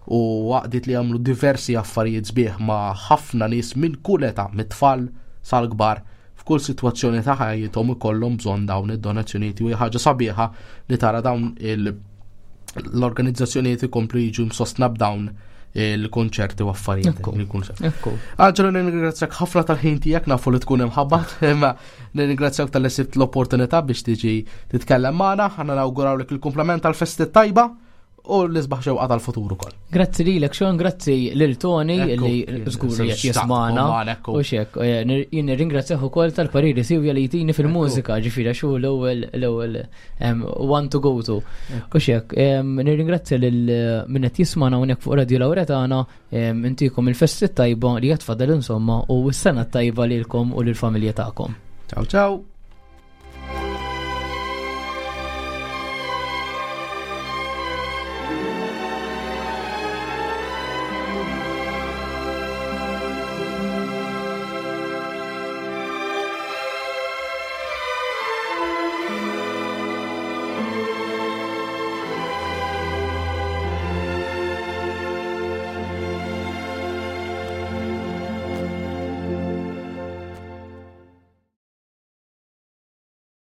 u għaqdiet li jagħmlu diversi affarijiet sbieħ ma' ħafna nies minn kull età, mit-tfal sal-kbar, f'kull sitwazzjoni ta' ħajjithom ikollhom bżonn dawn id-donazzjonijiet u hija ħaġa sabiħa li tara dawn il- l-organizzazzjonijiet ikomplu jiġu msostna b'dawn il-konċerti u affarijiet Ekku. li jkunu sew. Ekku. Angelo, nirringrazzjak ħafna tal-ħin tiegħek, nafu li tkun imħabbat, imma nirringrazzjak talli sibt l-opportunità biex tiġi titkellem magħna, ħana nawgurawlek il-kumplament tal-festi tajba u l-isbaħ xewqa tal-futur ukoll. Grazzi lilek Sean, grazzi lil Tony Ekku, li żgur kien qed jismana. magħna, ekku. U xek, eh, nir- jien nirringrazzjah ukoll tal-pariri siwja li jtini fil-mużika, ġifieri xu l-ewwel l-ewwel em, one to go to. U xek, em, nirringrazzja lil eh, min qed jismana hawnhekk fuq Radio Lauretana, em, intikom il-festi tajba li qed tfadal insomma u s-sena tajba lilkom u lill-familja tagħkom. Ciao ciao.